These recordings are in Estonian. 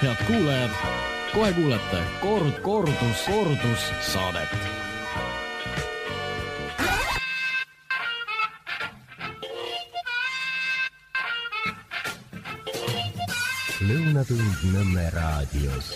Head kuulajad, kohe kuulete kordus saadet. Lõunatund Nõmme raadios.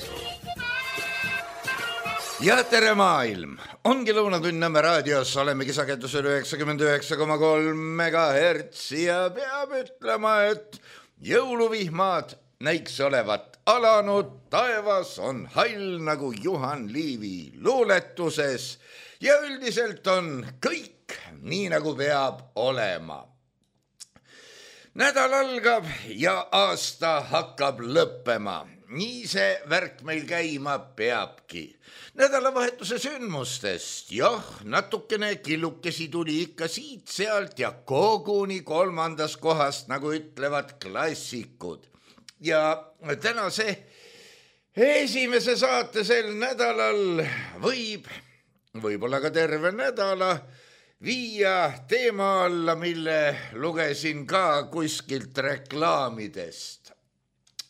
Ja tere maailm! Ongi Lõunatund Nõmme raadios, olemegi sagedusel 99,3 MHz ja peab ütlema, et jõuluvihmad näiks olevat alanud, taevas on hall nagu Juhan Liivi luuletuses ja üldiselt on kõik nii nagu peab olema. Nädal algab ja aasta hakkab lõppema. Nii see värk meil käima peabki. Nädalavahetuse sündmustest, natukene killukesi tuli ikka siit-sealt ja koguni 3. kohast, nagu ütlevad klassikud. Ja tänase esimese saate sel nädalal võib-olla ka terve nädala viia teema alla, mille lugesin ka kuskilt reklaamidest.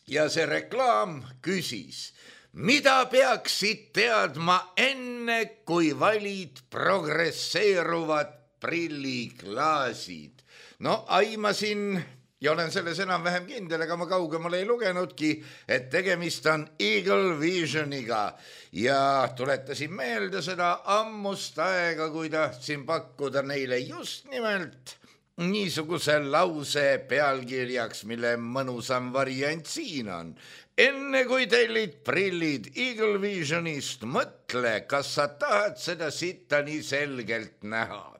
Ja see reklaam küsis, mida peaksid teadma enne, kui valid progresseeruvad prilliklaasid? No aimasin ja olen selles enam-vähem kindel, ega ma kaugemale ei lugenudki, et tegemist on Eagle Visioniga ja tuletasin meelde seda ammust aega, kui tahtsin pakkuda neile just nimelt niisuguse lause pealkirjaks, mille mõnusam variant siin on. Enne kui tellid prillid Eagle Visionist, mõtle, kas sa tahad seda sitta nii selgelt näha.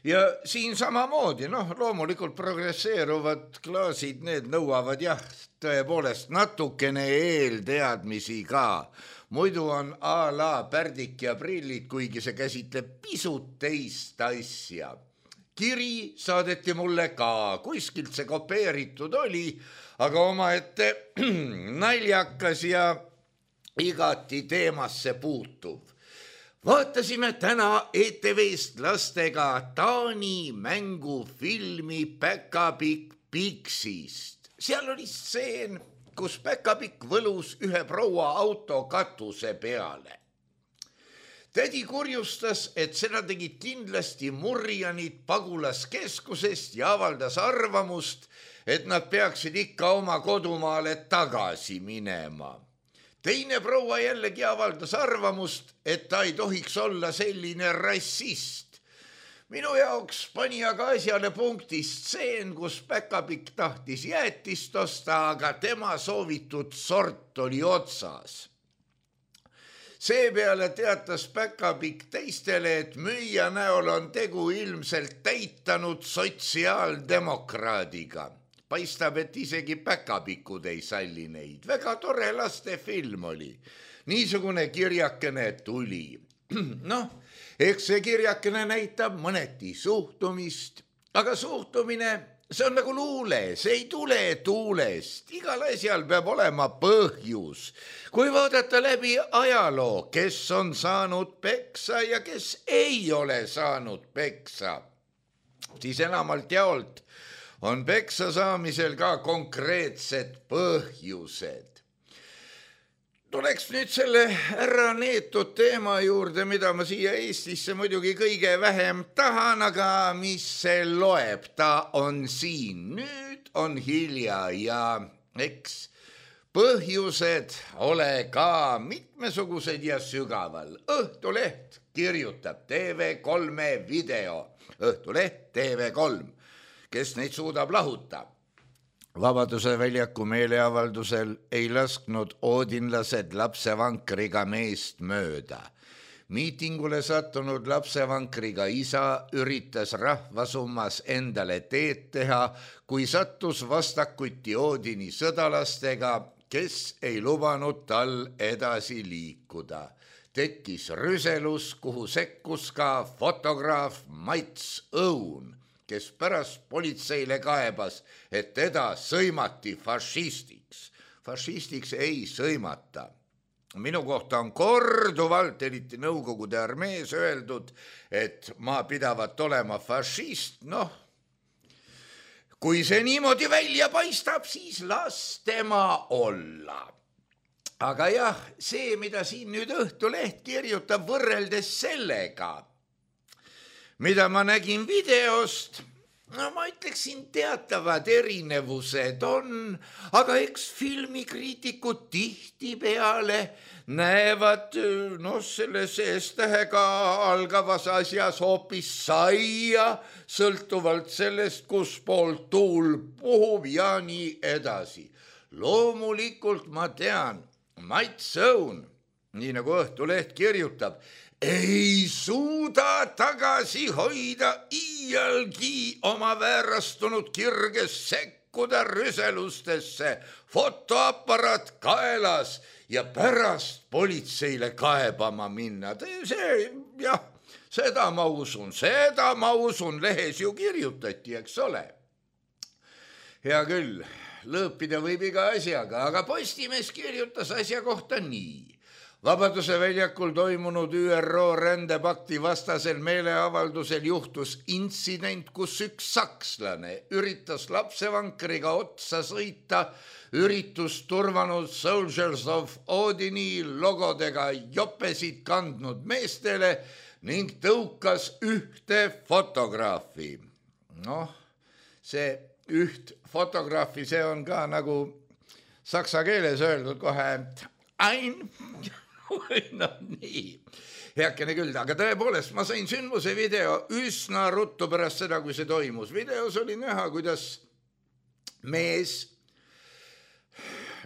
Ja siin samamoodi, loomulikult progresseeruvad klaasid, need nõuavad tõepoolest natukene eelteadmisi ka. Muidu on a la pärdik ja prillid, kuigi see käsitleb pisut teist asja. Kiri saadeti mulle ka, kuskilt see kopeeritud oli, aga omaette naljakas ja igati teemasse puutuv. Vaatasime täna ETV-st lastega Taani mängufilmi Päkapikk Piksist. Seal oli stseen, kus Päkapikk võlus ühe proua auto katuse peale. Tädi kurjustas, et seda tegid kindlasti murjanid pagulaskeskusest ja avaldas arvamust, et nad peaksid ikka oma kodumaale tagasi minema. Teine proua jällegi avaldas arvamust, et ta ei tohiks olla selline rassist. Minu jaoks pani aga asjale punkti stseen, kus Päkapikk tahtis jäätist osta, aga tema soovitud sort oli otsas. Seepeale teatas Päkapikk teistele, et müüja näol on tegu ilmselt täitanud sotsiaaldemokraadiga. Paistab, et isegi Päkapikud ei salli neid. Väga tore lastefilm oli. Niisugune kirjakene tuli. Eks see kirjakene näitab mõneti suhtumist, aga suhtumine, see on nagu luule, see ei tule tuulest. Igal asjal peab olema põhjus. Kui vaadata läbi ajaloo, kes on saanud peksa ja kes ei ole saanud peksa, siis enamalt jaolt on peksa saamisel ka konkreetsed põhjused. Tuleks nüüd selle ära neetud teema juurde, mida ma siia Eestisse muidugi kõige vähem tahan, aga mis see loeb, ta on siin. Nüüd on hilja ja eks põhjused ole ka mitmesugused ja sügaval. Õhtuleht kirjutab TV3 video. Õhtuleht TV3. Kes neid suudab lahuta. Vabaduse väljaku meeleavaldusel ei lasknud oodinlased lapsevankriga meest mööda. Miitingule sattunud lapsevankriga isa üritas rahvasummas endale teed teha, kui sattus vastakuti Oodini sõdalastega, kes ei lubanud tal edasi liikuda. Tekkis rüselus, kuhu sekkus ka fotograaf Mats Õun, kes pärast politseile kaebas, et teda sõimati fašistiks. Fašistiks ei sõimata. Minu kohta on korduvalt, eriti Nõukogude armees öeldud, et ma pidavat olema fašist. kui see niimoodi välja paistab, siis las tema olla. Aga jah, see, mida siin nüüd Õhtuleht kirjutab võrreldes sellega, mida ma nägin videost, no ma ütleksin, teatavad erinevused on, aga eks filmikriitikud tihtipeale näevad selles S-tähega algavas asjas hoopis saia, sõltuvalt sellest, kus pool tuul puhub ja nii edasi. Loomulikult ma tean, Mats Õun, nii nagu Õhtuleht kirjutab, ei suuda tagasi hoida iialgi oma väärastunud kirges sekkuda rüselustesse, fotoaparaat kaelas ja pärast politseile kaebama minna. Seda ma usun, lehes ju kirjutati, eks ole. Hea küll, lõõpida võib iga asjaga, aga Postimees kirjutas asja kohta nii. Vabaduse väljakul toimunud ÜRO rändepakti vastasel meeleavaldusel juhtus intsident, kus üks sakslane üritas lapsevankriga otsa sõita üritust turvanud Soldiers of Odini logodega jopesid kandnud meestele ning tõukas ühte fotograafi. See üht fotograafi, see on ka nagu saksa keeles öeldud kohe nii, heakene küll, aga tõepoolest ma sain sündmuse video üsna ruttu pärast seda, kui see toimus. Videos oli näha, kuidas mees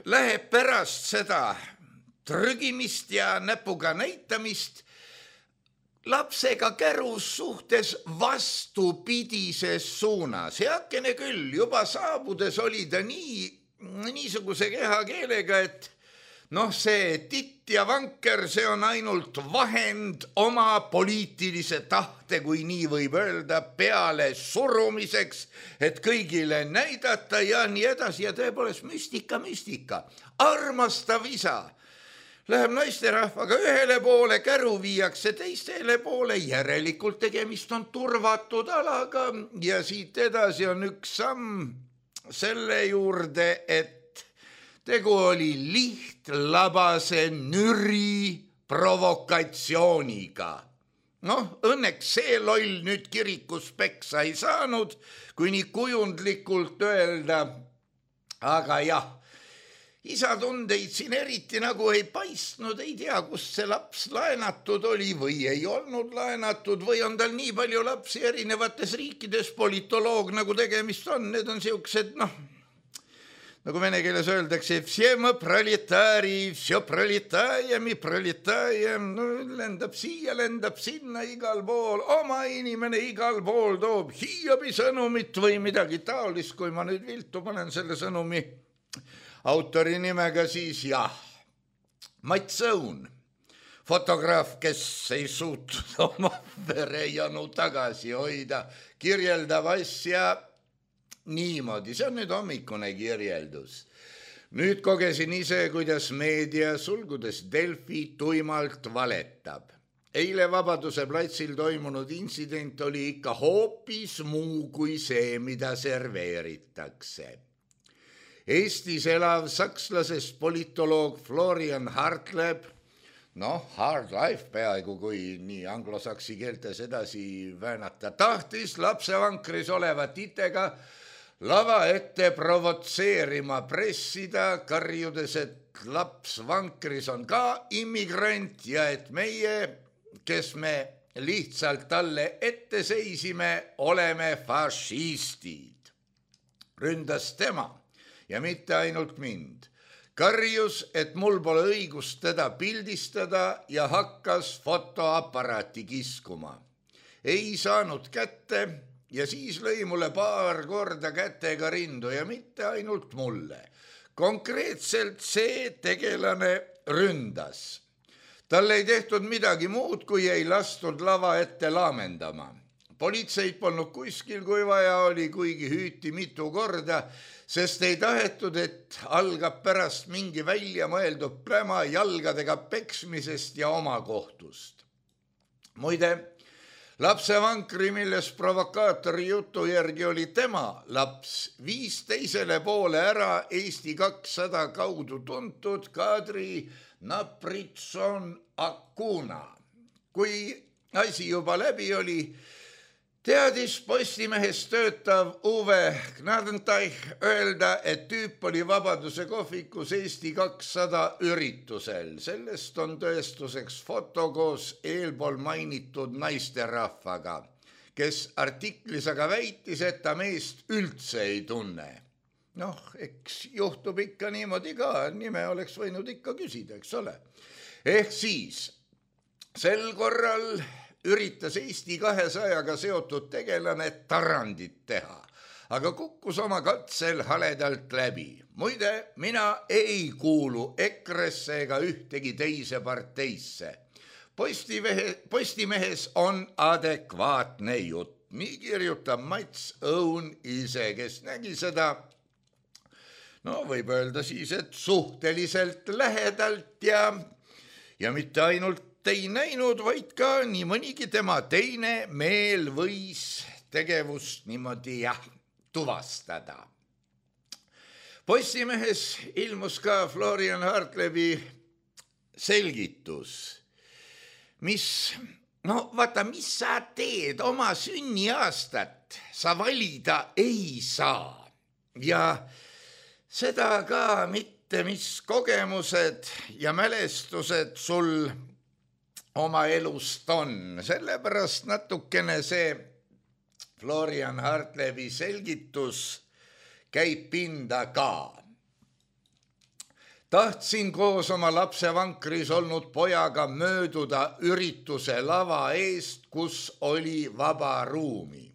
läheb pärast seda trügimist ja näpuga näitamist lapsega kärus suhtes vastupidises suunas. Heakene küll, juba saabudes oli ta niisuguse kehakeelega, et see titt ja vanker, see on ainult vahend oma poliitilise tahte, kui nii võib öelda, peale surumiseks, et kõigile näidata ja nii edasi. Ja tõepoolest müstika. Armastav isa läheb naisterahvaga ühele poole, käru viiakse teistele poole, järelikult tegemist on turvatud alaga ja siit edasi on üks samm selle juurde, et tegu oli lihtlabase nüri provokatsiooniga. Õnneks see loll nüüd kirikus peksa ei saanud, kui nii kujundlikult öelda. Aga jah, isa tundeid siin eriti nagu ei paistnud, ei tea, kust see laps laenatud oli või ei olnud laenatud või on tal nii palju lapsi erinevates riikides, politoloog nagu tegemist on, need on siuksed, nagu vene keeles öeldakse, vse me proletaari, vse proletaajami, lendab siia, lendab sinna igal pool, oma inimene igal pool toob Hiobi sõnumit või midagi taolist, kui ma nüüd viltu panen selle sõnumi autori nimega, siis jah, Mats Õun, fotograaf, kes ei suutnud oma verejanu tagasi hoida, kirjeldab asja niimoodi, see on nüüd hommikune kirjeldus. Nüüd kogesin ise, kuidas meedia, sulgudes Delfi, tuimalt valetab. Eile Vabaduse platsil toimunud intsident oli ikka hoopis muu kui see, mida serveeritakse. Eestis elav sakslasest politoloog Florian Hartleb, hard life peaaegu, kui nii anglosaksi keeltes edasi väänata, tahtis lapsevankris olevat itega lava ette provotseerima pressida, karjudes, et laps vankris on ka immigrant ja et meie, kes me lihtsalt talle ette seisime, oleme fašistid. Ründas tema ja mitte ainult mind. Karjus, et mul pole õigust teda pildistada ja hakkas fotoaparaati kiskuma. Ei saanud kätte ja siis lõi mulle paar korda kätega rindu ja mitte ainult mulle. Konkreetselt see tegelane ründas. Talle ei tehtud midagi muud, kui ei lastud lava ette laamendama. Politseid polnud kuskil, kui vaja oli, kuigi hüüti mitu korda, sest ei tahetud, et algab pärast mingi välja mõeldud pläma jalgadega peksmisest ja omakohtust. Muide, lapsevankri, milles provokaatori jutu järgi oli tema laps, viis teisele poole ära Eesti 200 kaudu tuntud Kadri Napritson Acuna. Kui asi juba läbi oli, teadis Postimehes töötav Uwe Gnadenteich öelda, et tüüp oli Vabaduse kohvikus Eesti 200 üritusel. Sellest on tõestuseks foto koos eelpool mainitud naisterahvaga, kes artiklis aga väitis, et ta meest üldse ei tunne. Noh, eks juhtub ikka niimoodi ka, nime oleks võinud ikka küsida, eks ole. Ehk siis sel korral üritas Eesti 200-ga seotud tegelane tarandit teha, aga kukkus oma katsel haledalt läbi. Muide, mina ei kuulu EKRE-sse ega ühtegi teise parteisse. Postimehes on adekvaatne jutt. Nii kirjutab Mats Õun ise, kes nägi seda, no võib öelda siis, et suhteliselt lähedalt ja mitte ainult ei näinud, vaid ka nii mõnigi tema teine meel võis tegevust niimoodi tuvastada. Postimehes ilmus ka Florian Hartlebi selgitus, mis sa teed, oma sünniaastat sa valida ei saa ja seda ka mitte, mis kogemused ja mälestused sul oma elust on. Sellepärast natukene see Florian Hartlebi selgitus käib pinda ka. Tahtsin koos oma lapsevankris olnud pojaga mööduda ürituse lava eest, kus oli vaba ruumi.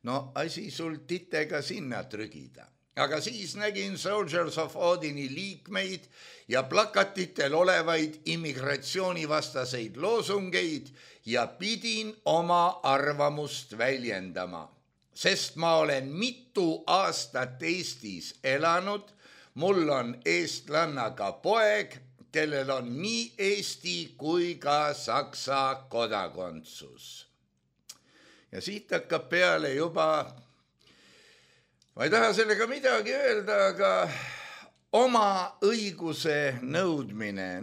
No asi sul titega sinna trügida. Aga siis nägin Soldiers of Odini liikmeid ja plakatitel olevaid immigratsioonivastaseid loosungeid ja pidin oma arvamust väljendama. Sest ma olen mitu aastat Eestis elanud, mul on eestlannaga poeg, kellel on nii Eesti kui ka Saksa kodakondsus. Ja siit hakkab peale juba, ma ei taha sellega midagi öelda, aga oma õiguse nõudmine,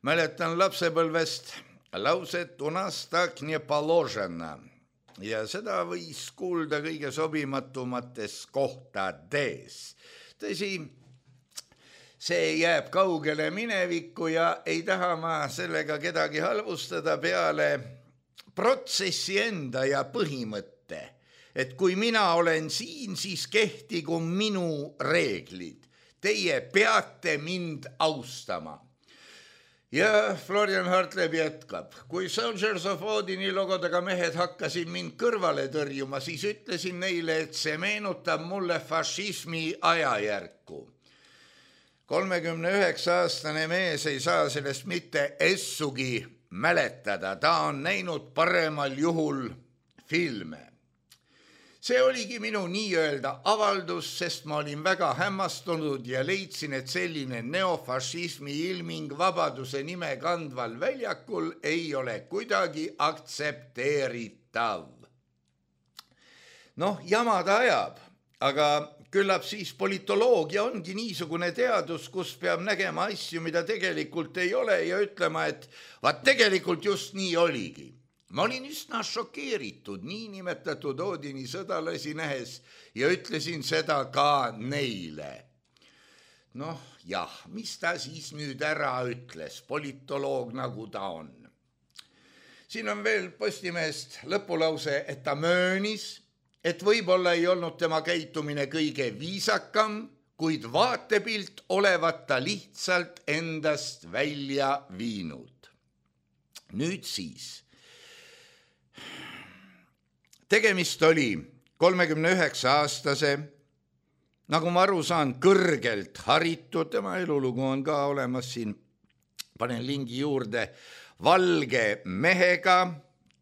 mäletan lapsepõlvest lauset "У нас так не положено" ja seda võis kuulda kõige sobimatumates kohtades. Tõsi, see jääb kaugele minevikku ja ei taha ma sellega kedagi halvustada peale protsessi enda ja põhimõtte, et kui mina olen siin, siis kehtigu minu reeglid. Teie peate mind austama. Ja Florian Hartleb jätkab. Kui Soldiers of Odini logodega mehed hakkasid mind kõrvale tõrjuma, siis ütlesin neile, et see meenutab mulle fašismi ajajärku. 39-aastane mees ei saa sellest mitte essugi mäletada. Ta on näinud paremal juhul filme. See oligi minu nii-öelda avaldus, sest ma olin väga hämmastunud ja leidsin, et selline neofašismi ilming vabaduse nime kandval väljakul ei ole kuidagi aktsepteeritav. Jama ta ajab, aga küllap siis politoloogia ongi niisugune teadus, kus peab nägema asju, mida tegelikult ei ole ja ütlema, et tegelikult just nii oligi. Ma olin üsna šokeeritud niinimetatud Odini sõdalasi nähes ja ütlesin seda ka neile. Mis ta siis nüüd ära ütles, politoloog nagu ta on. Siin on veel Postimehest lõpulause, et ta möönis, et võib-olla ei olnud tema käitumine kõige viisakam, kuid vaatepilt olevat ta lihtsalt endast välja viinud. Nüüd siis. Tegemist oli 39-aastase, nagu ma aru saan, kõrgelt haritud, tema elulugu on ka olemas siin, panen lingi juurde, valge mehega,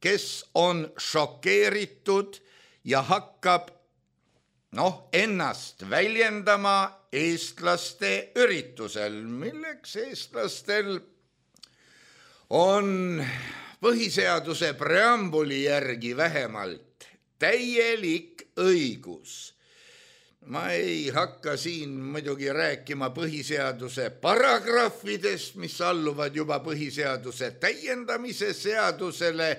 kes on šokeeritud ja hakkab ennast väljendama eestlaste üritusel, milleks eestlastel on põhiseaduse preambuli järgi vähemalt täielik õigus. Ma ei hakka siin muidugi rääkima põhiseaduse paragrahvidest, mis alluvad juba põhiseaduse täiendamise seadusele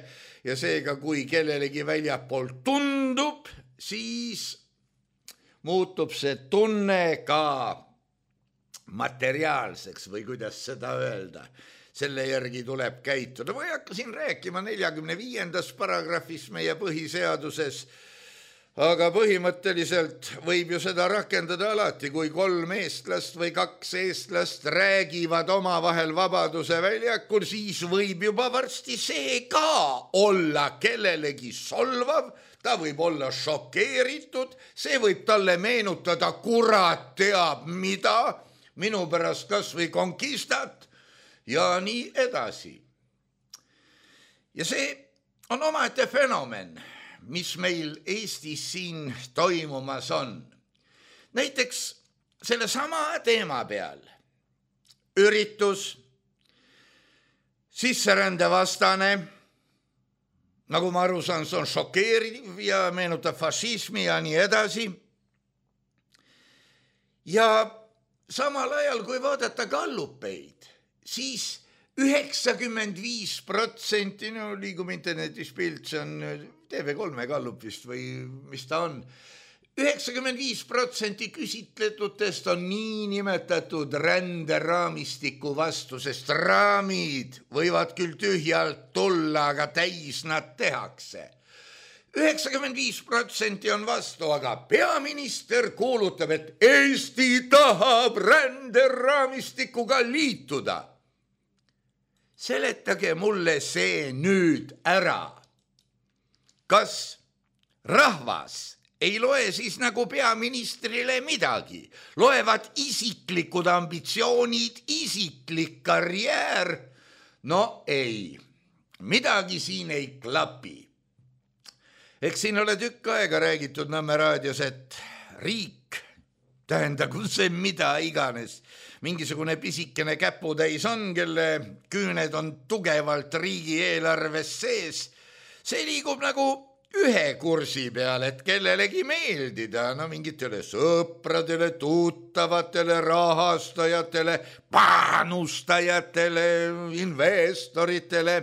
ja seega kui kellelegi väljapoolt tundub, siis muutub see tunne ka materiaalseks või kuidas seda öelda. Selle järgi tuleb käituda. Ma ei hakka siin rääkima 45. paragrahvis meie põhiseaduses, aga põhimõtteliselt võib ju seda rakendada alati, kui 3 eestlast või 2 eestlast räägivad omavahel Vabaduse väljakul, siis võib juba varsti see ka olla kellelegi solvav, ta võib olla šokeeritud, see võib talle meenutada kurat teab mida, minu pärast kas või konkistat ja nii edasi. Ja see on omaette fenomen, mis meil Eestis siin toimumas on. Näiteks selle sama teema peal üritus sisserändevastane, nagu ma aru saan, see on šokeeriv ja meenutab fašismi ja nii edasi. Ja samal ajal, kui vaadata gallupeid, siis 95%, no liigub internetis pilt, see on TV3 gallup vist või mis ta on, 95% küsitletutest on niinimetatud ränderaamistiku vastu, sest raamid võivad küll tühjalt tulla, aga täis nad tehakse. 95% on vastu, aga peaminister kuulutab, et Eesti tahab ränderaamistikuga liituda. Seletage mulle see nüüd ära. Kas rahvas ei loe siis nagu peaministrile midagi? Loevad isiklikud ambitsioonid, isiklik karjäär? No ei, midagi siin ei klapi. Eks siin ole tükk aega räägitud Nõmme raadios, et riik, tähendagu see mida iganes, mingisugune pisikene käputäis on, kelle küüned on tugevalt riigieelarves sees, see liigub nagu ühe kursi peal, et kellelegi meeldida, no mingitele sõpradele, tuttavatele, rahastajatele, panustajatele, investoritele.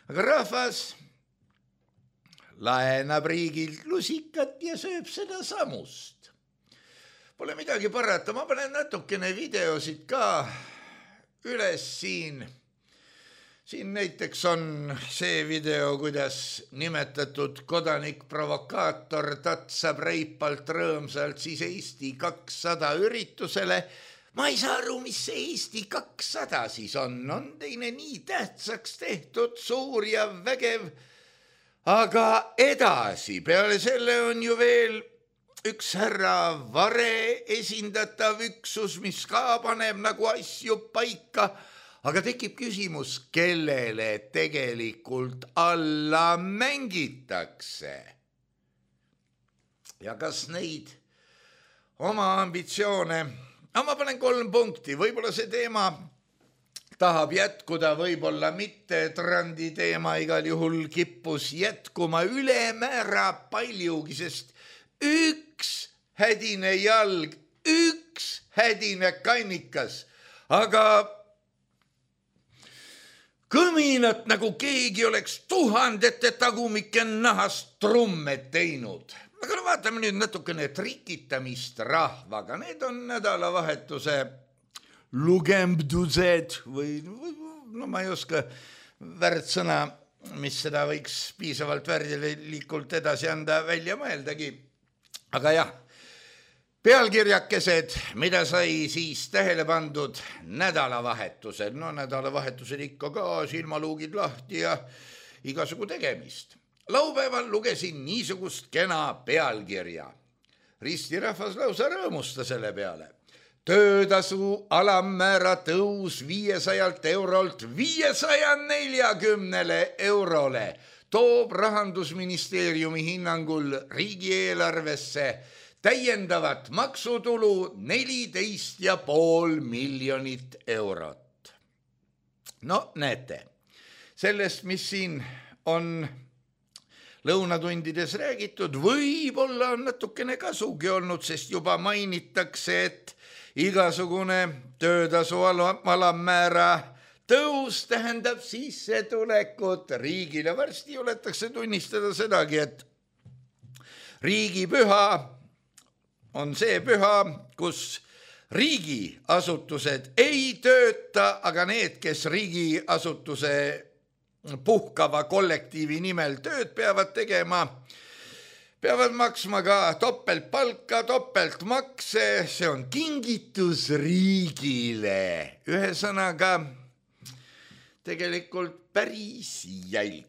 Aga rahvas laenab riigilt lusikat ja sööb seda samust. Pole midagi parata, ma panen natukene videosid ka üles siin. Siin näiteks on see video, kuidas nimetatud kodanik-provokaator tatsab reipalt rõõmsalt siis Eesti 200 üritusele. Ma ei saa aru, mis see Eesti 200 siis on teine nii tähtsaks tehtud, suur ja vägev. Aga edasi, peale selle on ju veel üks härra Vare esindatav üksus, mis ka paneb nagu asju paika, aga tekib küsimus, kellele tegelikult alla mängitakse. Ja kas neid oma ambitsioone, ma panen 3 punkti, võib-olla see teema tahab jätkuda, võib-olla mitte, trandi teema igal juhul kippus jätkuma ülemäära paljugi, sest üks hädine jalg, üks hädine kannikas, aga kõminat nagu keegi oleks 1000 tagumike nahast trumme teinud. Aga vaatame nüüd natukene trikitamist rahvaga, need on nädalavahetuse lugembdused või no ma ei oska värdsõna, mis seda võiks piisavalt värdilikult edasi anda, välja mõeldagi. Aga jah, pealkirjakesed, mida sai siis tähele pandud nädalavahetusel. No nädalavahetusel ikka ka silmaluugid lahti ja igasugu tegemist. Laupäeval lugesin niisugust kena pealkirja. Ristirahvas lausa rõõmusta selle peale. Töötasu alammäära tõus 500 eurolt 540 eurole toob Rahandusministeeriumi hinnangul riigieelarvesse täiendavat maksutulu 14,5 miljonit eurot. No näete, sellest, mis siin on lõunatundides räägitud, võib-olla on natukene kasugi olnud, sest juba mainitakse, et igasugune töötasu alammäära tõus tähendab sissetulekut riigile. Varsti juletakse tunnistada sedagi, et riigipüha on see püha, kus riigiasutused ei tööta, aga need, kes riigiasutuse puhkava kollektiivi nimel tööd peavad tegema, peavad maksma ka topeltpalka, topeltmakse, see on kingitus riigile. Ühesõnaga, tegelikult päris jälk.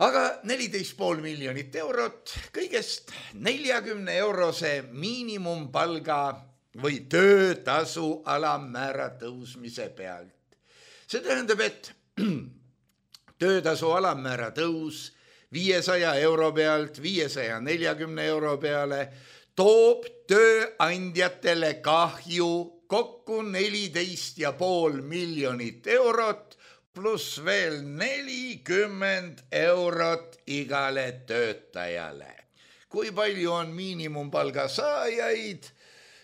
Aga 14,5 miljonit eurot kõigest 40-eurose miinimumpalga või töötasu alammäära tõusmise pealt. See tähendab, et töötasu alammäära tõus 500 euro pealt 540 euro peale toob tööandjatele kahju kokku 14,5 miljonit eurot pluss veel 40 eurot igale töötajale. Kui palju on miinimumpalga saajaid?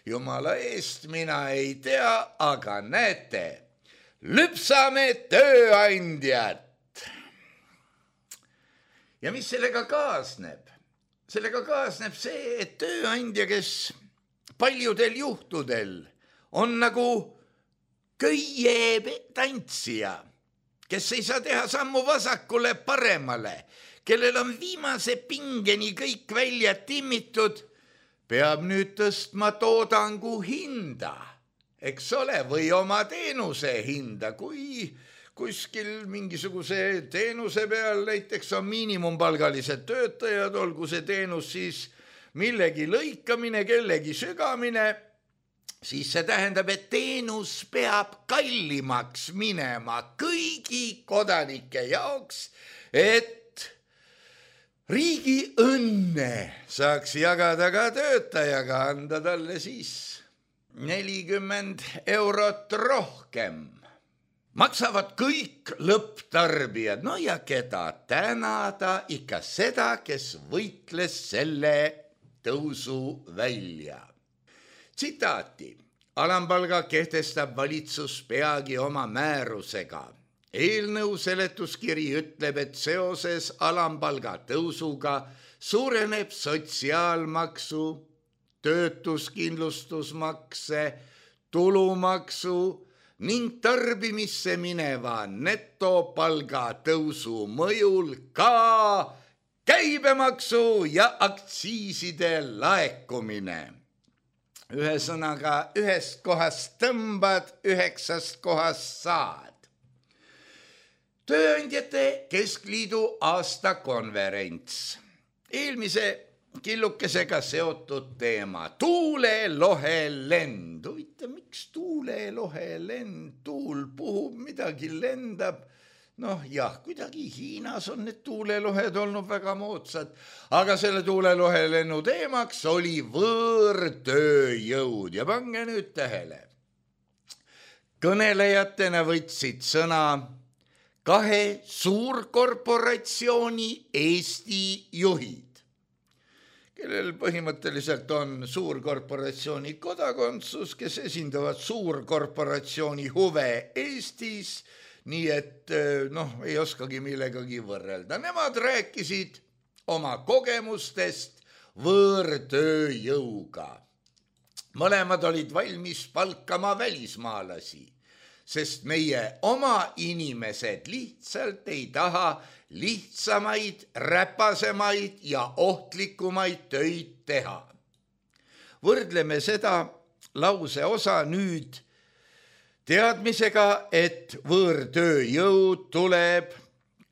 Jumala eest mina ei tea, aga näete, lüpsame tööandjat. Ja mis sellega kaasneb? Sellega kaasneb see, et tööandja, kes paljudel juhtudel on nagu köietantsija, kes ei saa teha sammu vasakule paremale, kellel on viimase pingeni kõik välja timmitud, peab nüüd tõstma toodangu hinda, eks ole, või oma teenuse hinda, kui kuskil mingisuguse teenuse peal näiteks on miinimumpalgalised töötajad, olgu see teenus siis millegi lõikamine, kellegi sügamine, siis see tähendab, et teenus peab kallimaks minema kõigi kodanike jaoks, et riigi õnne saaks jagada ka töötajaga, anda talle siis 40 eurot rohkem. Maksavad kõik lõpptarbijad, no ja keda tänada, ikka seda, kes võitles selle tõusu välja. Tsitaati. Alampalga kehtestab valitsus peagi oma määrusega. Eelnõu seletuskiri ütleb, et seoses alampalga tõusuga suureneb sotsiaalmaksu, töötuskindlustusmakse, tulumaksu ning tarbimisse mineva netopalga tõusu mõjul ka käibemaksu ja aktsiiside laekumine. Ühesõnaga, ühest kohast tõmbad, 9 kohast saad. Tööandjate Keskliidu aastakonverents. Eelmise killukesega seotud teema. Tuulelohelend. Huvitav, miks tuulelohelend? Tuul puhub, midagi lendab. Noh jah, kuidagi Hiinas on need tuulelohed olnud väga moodsad, aga selle tuulelohelennu teemaks oli võõrtööjõud ja pange nüüd tähele. Kõnelejatena võtsid sõna 2 suurkorporatsiooni Eesti juhid, kellel põhimõtteliselt on suurkorporatsiooni kodakondsus, kes esindavad suurkorporatsiooni huve Eestis, nii et ei oskagi millegagi võrrelda. Nemad rääkisid oma kogemustest võõrtööjõuga. Mõlemad olid valmis palkama välismaalasi, sest meie oma inimesed lihtsalt ei taha lihtsamaid, räpasemaid ja ohtlikumaid töid teha. Võrdleme seda lause osa nüüd teadmisega, et võõrtööjõud tuleb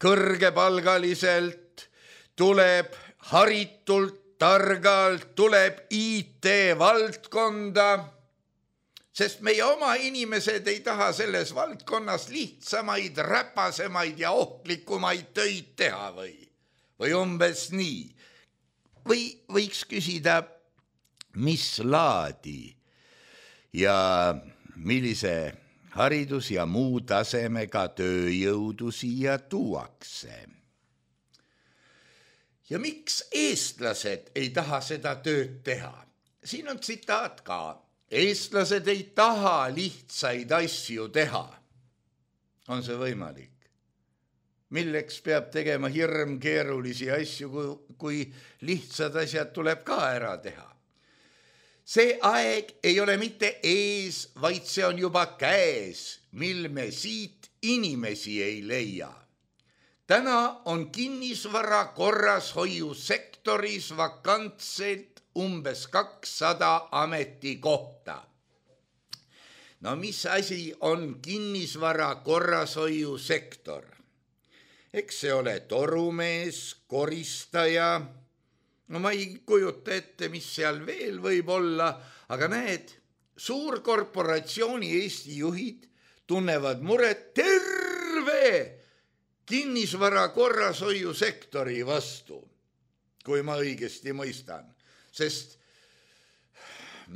kõrgepalgaliselt, tuleb haritult, targalt, tuleb IT-valdkonda, sest meie oma inimesed ei taha selles valdkonnas lihtsamaid, räpasemaid ja ohtlikumaid töid teha või umbes nii. Või võiks küsida, mis laadi ja millise haridus ja muu tasemega tööjõudu siia tuuakse. Ja miks eestlased ei taha seda tööd teha? Siin on tsitaat ka. Eestlased ei taha lihtsaid asju teha. On see võimalik? Milleks peab tegema hirmkeerulisi asju, kui lihtsad asjad tuleb ka ära teha? See aeg ei ole mitte ees, vaid see on juba käes, mil me siit inimesi ei leia. Täna on kinnisvara korrashoiusektoris vakantselt umbes 200 ametikohta. No mis asi on kinnisvara korrashoiusektor? Eks see ole torumees, koristaja, no ma ei kujuta ette, mis seal veel võib olla, aga näed, suurkorporatsiooni Eesti juhid tunnevad muret terve kinnisvara korrashoiusektori vastu, kui ma õigesti mõistan, sest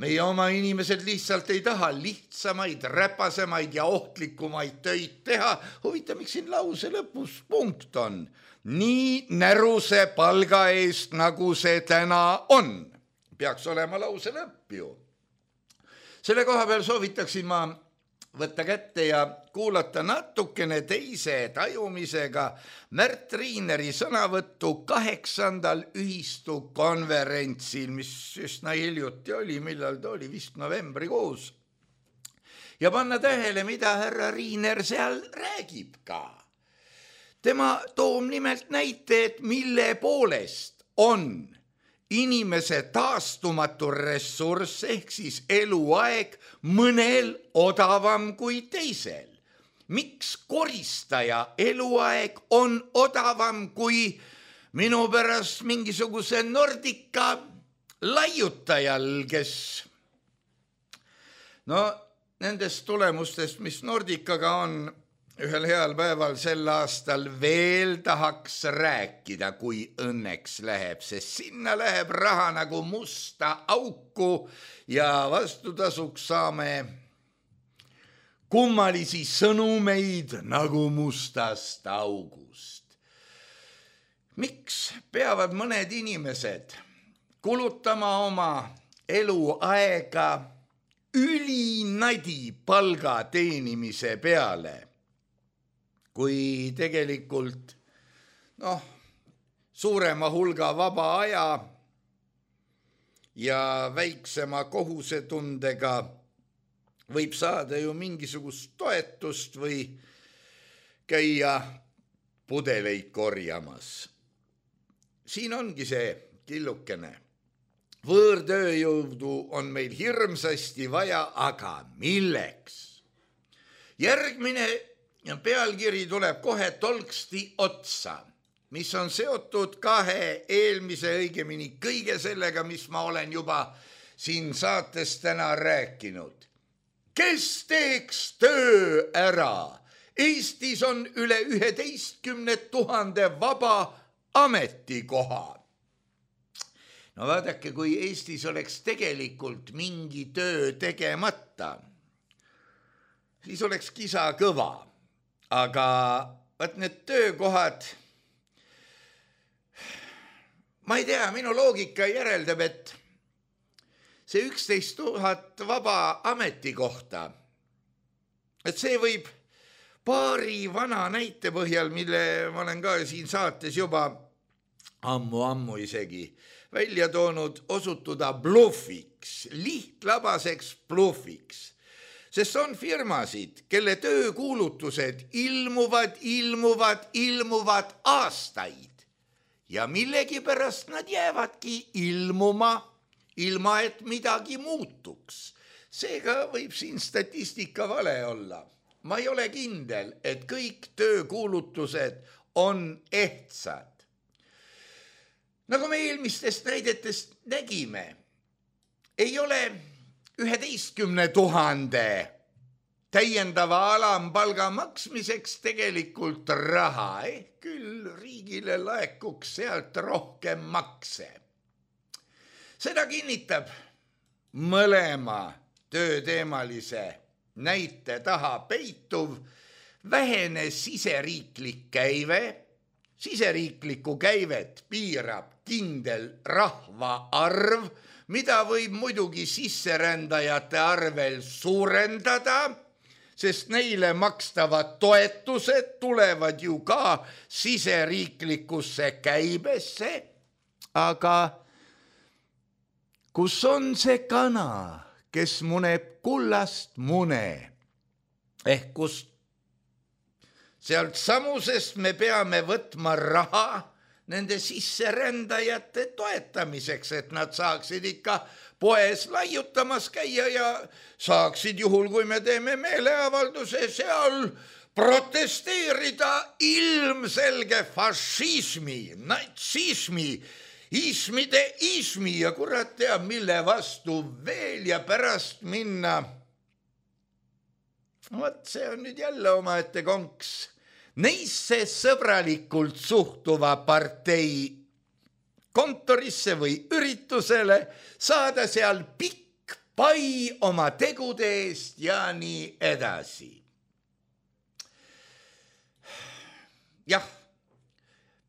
meie oma inimesed lihtsalt ei taha lihtsamaid, räpasemaid ja ohtlikumaid töid teha. Huvita, miks siin lause lõpus punkt on? Nii näruse palga eest, nagu see täna on. Peaks olema lause lõpp ju. Selle koha peal soovitaksin ma võtta kätte ja kuulata natukene teise tajumisega Märt Riineri sõnavõttu 8. ühistu konverentsil, mis üsna hiljuti oli, millal ta oli, vist novembrikuus. Ja panna tähele, mida härra Riiner seal räägib ka. Tema toob nimelt näite, et mille poolest on inimese taastumatu ressurss ehk siis eluaeg mõnel odavam kui teisel. Miks koristaja eluaeg on odavam kui minu pärast mingisuguse Nordica laiutajal, kes nendest tulemustest, mis Nordicaga on, ühel heal päeval sel aastal veel tahaks rääkida, kui õnneks läheb, sest sinna läheb raha nagu musta auku ja vastutasuks saame kummalisi sõnumeid nagu mustast august. Miks peavad mõned inimesed kulutama oma eluaega ülinadi palga teenimise peale, kui tegelikult suurema hulga vaba aja ja väiksema kohusetundega võib saada ju mingisugust toetust või käia pudeleid korjamas. Siin ongi see killukene. Võõrtööjõudu on meil hirmsasti vaja, aga milleks? Järgmine pealkiri tuleb kohe tolksti otsa, mis on seotud kahe eelmise, õigemini kõige sellega, mis ma olen juba siin saates täna rääkinud. Kes teeks töö ära? Eestis on üle 11 000 vaba ametikoha. No vaadake, kui Eestis oleks tegelikult mingi töö tegemata, siis oleks kisa kõva. Aga vaat need töökohad, ma ei tea, minu loogika järeldab, et see 11 000 vaba ametikohta, et see võib paari vana näite põhjal, mille ma olen ka siin saates juba ammu isegi välja toonud, osutuda blufiks, lihtlabaseks blufiks. Sest on firmasid, kelle töökuulutused ilmuvad aastaid ja millegipärast nad jäävadki ilmuma, ilma et midagi muutuks. Seega võib siin statistika vale olla. Ma ei ole kindel, et kõik töökuulutused on ehtsad. Nagu me eelmistest näidetest nägime, ei ole 11 000 täiendava alampalga maksmiseks tegelikult raha, küll riigile laekuks sealt rohkem makse. Seda kinnitab mõlema tööteemalise näite taha peituv vähene siseriiklik käive. Siseriiklikku käivet piirab kindel rahvaarv, mida võib muidugi sisserändajate arvel suurendada, sest neile makstavad toetused tulevad ju ka siseriiklikusse käibesse. Aga kus on see kana, kes muneb kullast mune? Ehk kust sealt samusest me peame võtma raha nende sisserändajate toetamiseks, et nad saaksid ikka poes laiutamas käia ja saaksid juhul, kui me teeme meeleavalduse seal, protesteerida ilmselge fašismi, natsismi, ismi ja kurat teab, mille vastu veel ja pärast minna. Vot see on nüüd jälle omaette konks. Neisse sõbralikult suhtuva partei kontorisse või üritusele, saada seal pikk pai oma tegude eest ja nii edasi. Jah,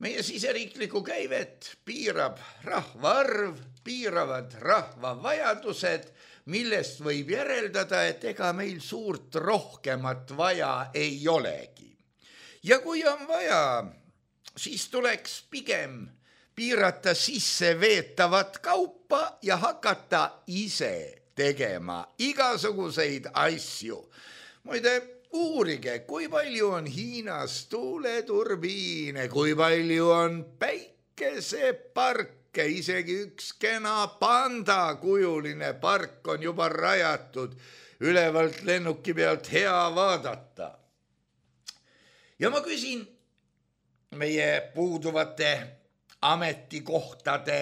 meie siseriikliku käivet piirab rahvaarv, piiravad rahva vajadused, millest võib järeldada, et ega meil suurt rohkemat vaja ei olegi. Ja kui on vaja, siis tuleks pigem piirata sisse veetavat kaupa ja hakata ise tegema igasuguseid asju. Muide, uurige, kui palju on Hiinas tuuleturbiine, kui palju on päikeseparke, isegi üks kena pandakujuline park on juba rajatud, ülevalt lennuki pealt hea vaadata. Ja ma küsin meie puuduvate ametikohtade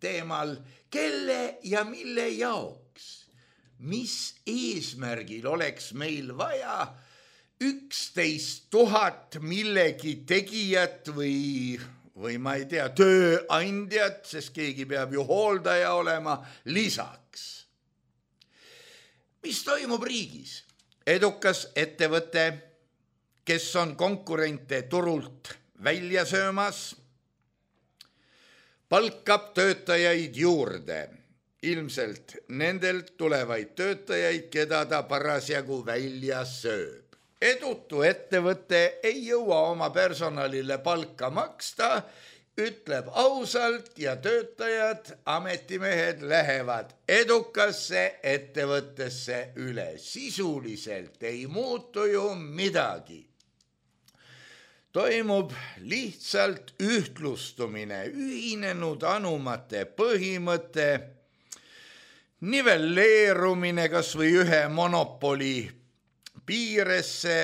teemal, kelle ja mille jaoks, mis eesmärgil oleks meil vaja 11 000 millegi tegijat või ma ei tea, tööandjat, sest keegi peab ju hooldaja olema lisaks. Mis toimub riigis? Edukas ettevõte, kes on konkurente turult välja söömas, palkab töötajaid juurde. Ilmselt nendelt tulevaid töötajaid, keda ta parasjagu välja sööb. Edutu ettevõte ei jõua oma personalile palka maksta, ütleb ausalt ja töötajad, ametimehed lähevad edukasse ettevõttesse üle. Sisuliselt ei muutu ju midagi. Toimub lihtsalt ühtlustumine, ühinenud anumate põhimõte, nivelleerumine kas või ühe monopoli piiresse,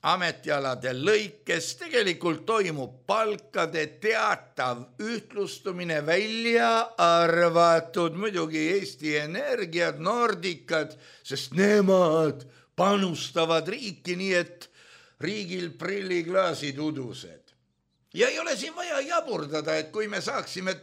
ametialade lõikes, tegelikult toimub palkade teatav ühtlustumine, välja arvatud muidugi Eesti Energiad, Nordicad, sest nemad panustavad riiki nii, et riigil prilliklaasid udused. Ja ei ole siin vaja jaburdada, et kui me saaksime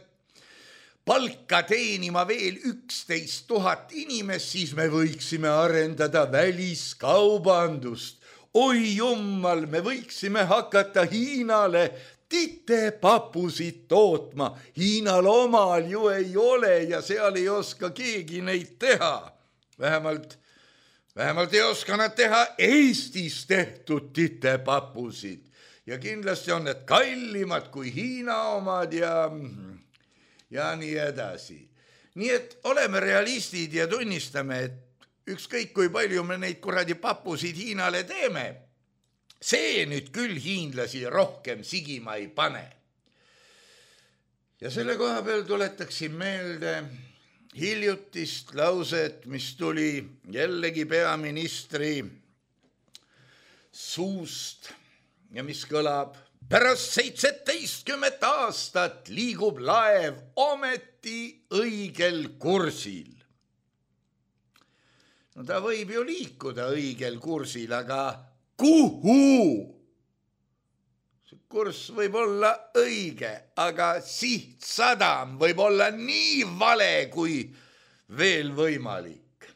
palka teenima veel 11 000 inimest, siis me võiksime arendada väliskaubandust. Oi jummal, me võiksime hakata Hiinale titepapusid tootma. Hiinal omal ju ei ole ja seal ei oska keegi neid teha. Vähemalt ei oska nad teha Eestis tehtud titepapusid. Ja kindlasti on need kallimad kui Hiina omad ja nii edasi. Nii et oleme realistid ja tunnistame, et ükskõik kui palju me neid kuradi papusid Hiinale teeme, see nüüd küll hiinlasi rohkem sigima ei pane. Ja selle koha peal tuletaksin meelde hiljutist lauset, mis tuli jällegi peaministri suust ja mis kõlab: pärast 17 aastat liigub laev ometi õigel kursil. No ta võib ju liikuda õigel kursil, aga kuhu? See kurss võib olla õige, aga sihtsadam võib olla nii vale kui veel võimalik.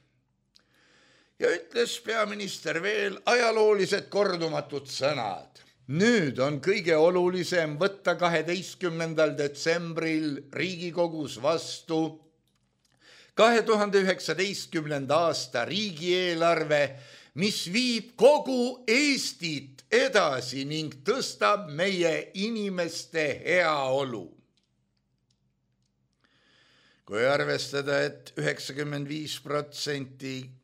ja ütles peaminister veel ajaloolised kordumatud sõnad. Nüüd on kõige olulisem võtta 12. detsembril Riigikogus vastu 2019. aasta riigieelarve, mis viib kogu Eestit edasi ning tõstab meie inimeste heaolu. Kui arvestada, et 95%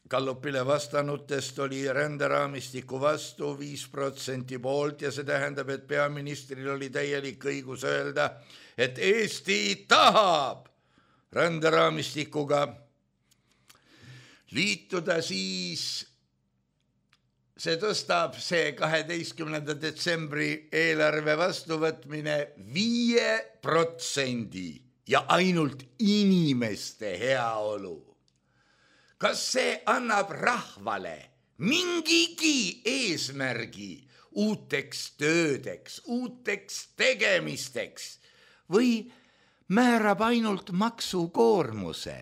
Gallupile vastanutest oli ränderaamistiku vastu, 5% poolt ja see tähendab, et peaministril oli täielik õigus öelda, et Eesti tahab ränderaamistikuga liituda, siis see tõstab see 12. detsembri eelarve vastuvõtmine 5% ja ainult inimeste heaolu. Kas see annab rahvale mingigi eesmärgi uuteks töödeks, uuteks tegemisteks või määrab ainult maksukoormuse?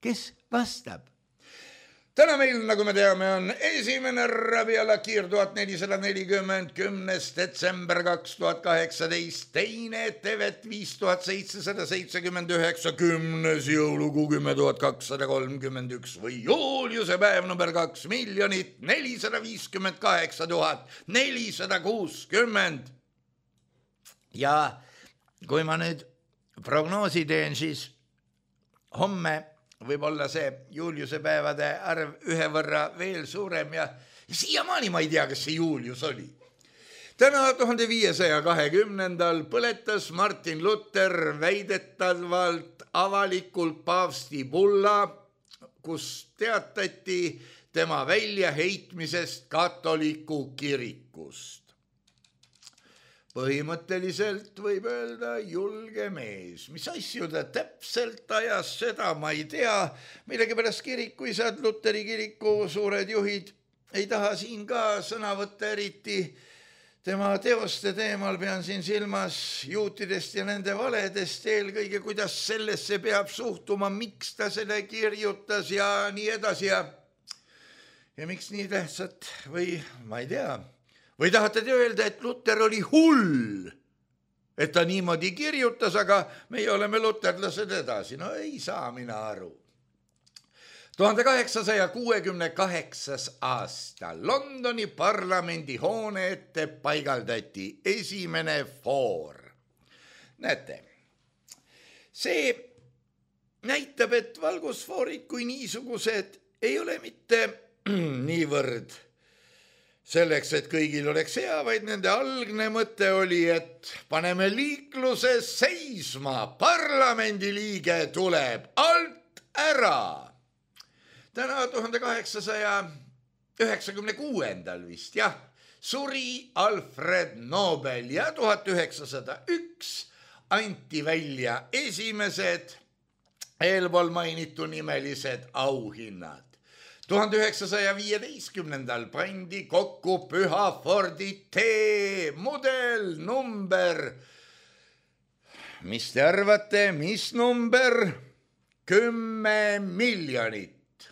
Kes vastab? Täna meil, nagu me teame, on esimene Rabiala Kiir 1440, 10. detsember 2018, teine Tevet 5779, 10. jõulukuu 10.231 või Juliuse päev number 2 458 460. Ja kui ma nüüd prognoosi teen, siis homme võib olla see Juliuse päevade arv ühe võrra veel suurem ja siiamaani ma ei tea, kas see Julius oli. Täna 1520. põletas Martin Luther väidetavalt avalikult paavsti bulla, kus teatati tema väljaheitmisest katoliku kirikust. Põhimõtteliselt võib öelda julge mees. Mis asju ta täpselt ajas, seda ma ei tea. Millegipärast kirikuisad, Luteri kiriku suured juhid ei taha siin ka sõna võtta eriti. Tema teoste teemal pean siin silmas juutidest ja nende valedest eelkõige, kuidas sellesse peab suhtuma, miks ta selle kirjutas ja nii edasi. Ja miks nii tähtsat või ma ei tea. Või tahate te öelda, et Luther oli hull, et ta niimoodi kirjutas, aga meie oleme luterlased edasi. No ei saa mina aru. 1868. aasta Londoni parlamendi hoone ette paigaldati esimene foor. Näete, see näitab, et valgusfoorid kui niisugused ei ole mitte niivõrd selleks, et kõigil oleks hea, vaid nende algne mõte oli, et paneme liikluse seisma, parlamendiliige tuleb alt ära. Täna 1896. vist, jah, suri Alfred Nobel ja 1901 anti välja esimesed eelpool mainitu nimelised auhinnad. 1915. pandi kokku Pühafordi T-mudel number. Mis te arvate, mis number? 10 miljonit.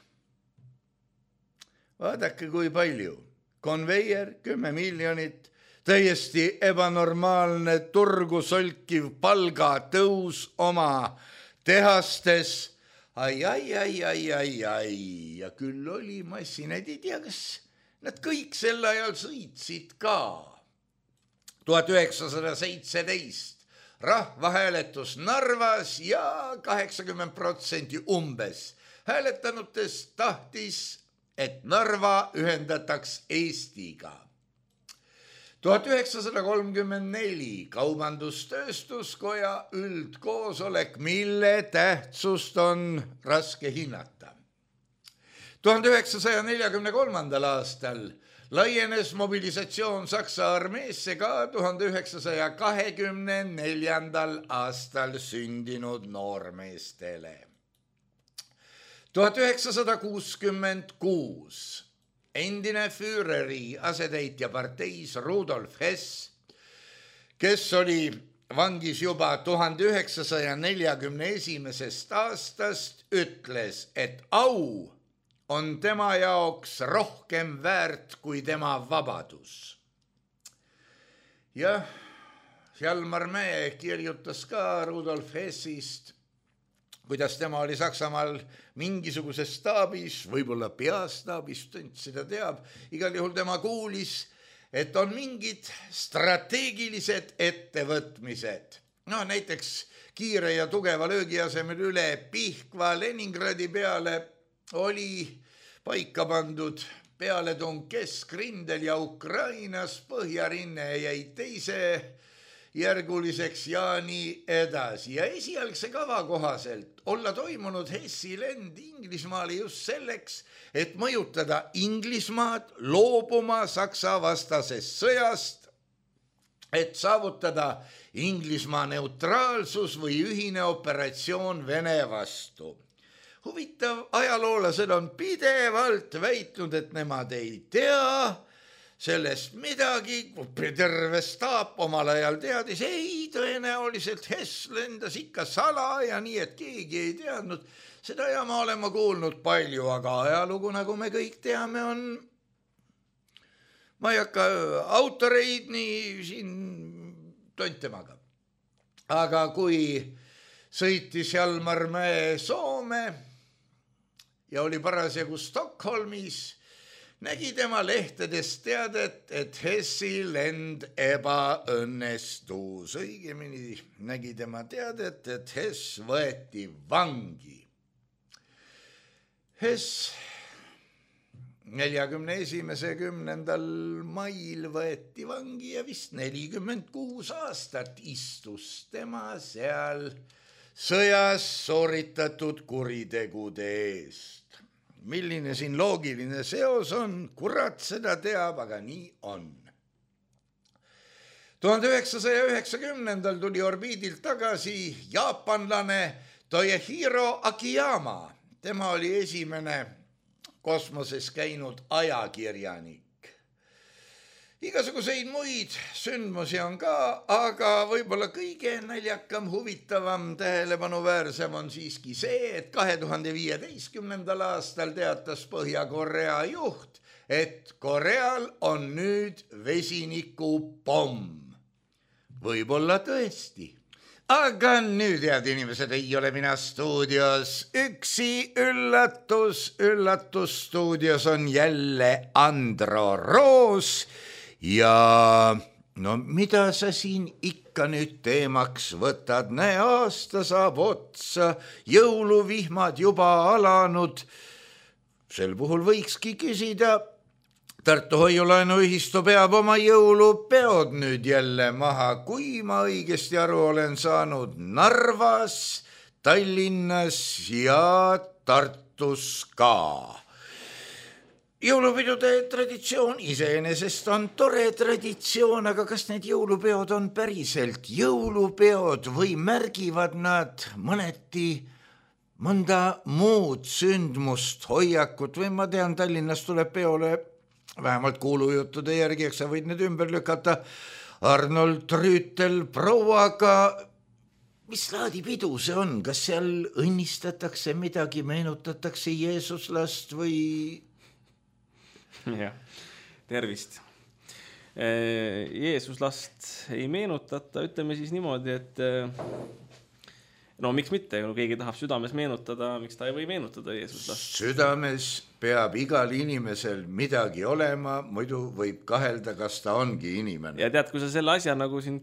Vaadake, kui palju. Konveier, 10 miljonit. Täiesti ebanormaalne turgu solkiv palgatõus oma tehastes. Ai, ja küll oli massinad, ei tea, kas nad kõik sel ajal sõitsid ka. 1917 rahvahääletus Narvas ja 80% umbes hääletanutest tahtis, et Narva ühendataks Eestiga. 1934 Kaubandus-Tööstuskoja üldkoosolek, mille tähtsust on raske hinnata. 1943. aastal laienes mobilisatsioon Saksa armeesse ka 1924. aastal sündinud noormeestele. 1966 endine Führeri asetäitja parteis Rudolf Hess, kes oli vangis juba 1941. aastast, ütles, et au on tema jaoks rohkem väärt kui tema vabadus. Jah, Hjalmar Mäe kirjutas ka Rudolf Hessist, kuidas tema oli Saksamaal mingisuguses staabis, võib-olla peastaabis, seda teab, igal juhul tema kuulis, et on mingid strateegilised ettevõtmised. No näiteks kiire ja tugeva löögi asemel üle Pihkva Leningradi peale oli paika pandud pealetung Keskrindel ja Ukrainas, põhjarinne jäi teise järguliseks ja nii edasi. Ja esialgse kava kohaselt olla toimunud Hessi lend Inglismaale just selleks, et mõjutada Inglismaad loobuma Saksa vastasest sõjast, et saavutada Inglismaa neutraalsus või ühine operatsioon Vene vastu. Huvitav, ajaloolased on pidevalt väitnud, et nemad ei tea sellest midagi, terve staap omal ajal teadis, ei, tõenäoliselt Hess lendas ikka sala ja nii, et keegi ei teadnud. Seda ja ma olen kuulnud palju, aga ajalugu, nagu me kõik teame, on, ma ei hakka autoreid nii siin tontemaga. Aga kui sõitis Hjalmar Mäe Soome ja oli parasjagu Stockholmis, nägi tema lehtedest teadet, et Hessi lend ebaõnnestus. Õigemini nägi tema teadet, et Hess võeti vangi. Hess 41. 10. mail võeti vangi ja vist 46 aastat istus tema seal sõjas sooritatud kuritegude eest. Milline siin loogiline seos on, kurat seda teab, aga nii on. 1990. tuli orbiidilt tagasi jaapanlane Toyohiro Akiyama. Tema oli esimene kosmoses käinud ajakirjanik. Igasuguseid muid sündmusi on ka, aga võib-olla kõige naljakam, huvitavam, tähelepanuväärsem on siiski see, et 2015. aastal teatas Põhja-Korea juht, et Koreal on nüüd vesinikupomm. Võib-olla tõesti. Aga nüüd, head inimesed, ei ole mina stuudios üksi. Üllatus stuudios on jälle Andro Roos. Ja no mida sa siin ikka nüüd teemaks võtad? Näe, aasta saab otsa, jõuluvihmad juba alanud. Sel puhul võikski küsida, Tartu Hoiulaenuühistu peab oma jõulupeod nüüd jälle maha, kui ma õigesti aru olen saanud, Narvas, Tallinnas ja Tartus ka. Jõulupidude traditsioon iseenesest on tore traditsioon, aga kas need jõulupeod on päriselt jõulupeod või märgivad nad mõneti mõnda muud sündmust, hoiakut või ma tean, Tallinnas tuleb peole vähemalt kuulujuttude järgi, eks sa võid need ümber lükata, Arnold Rüütel prouaga. Mis laadi pidu see on? Kas seal õnnistatakse midagi, meenutatakse Jeesuslast või... Ja, tervist. Jeesuslast ei meenutata, ütleme siis niimoodi, et no miks mitte, kui keegi tahab südames meenutada, miks ta ei või meenutada Jeesuslast? Südames peab igal inimesel midagi olema, muidu võib kahelda, kas ta ongi inimene. Ja tead, kui sa selle asja nagu siin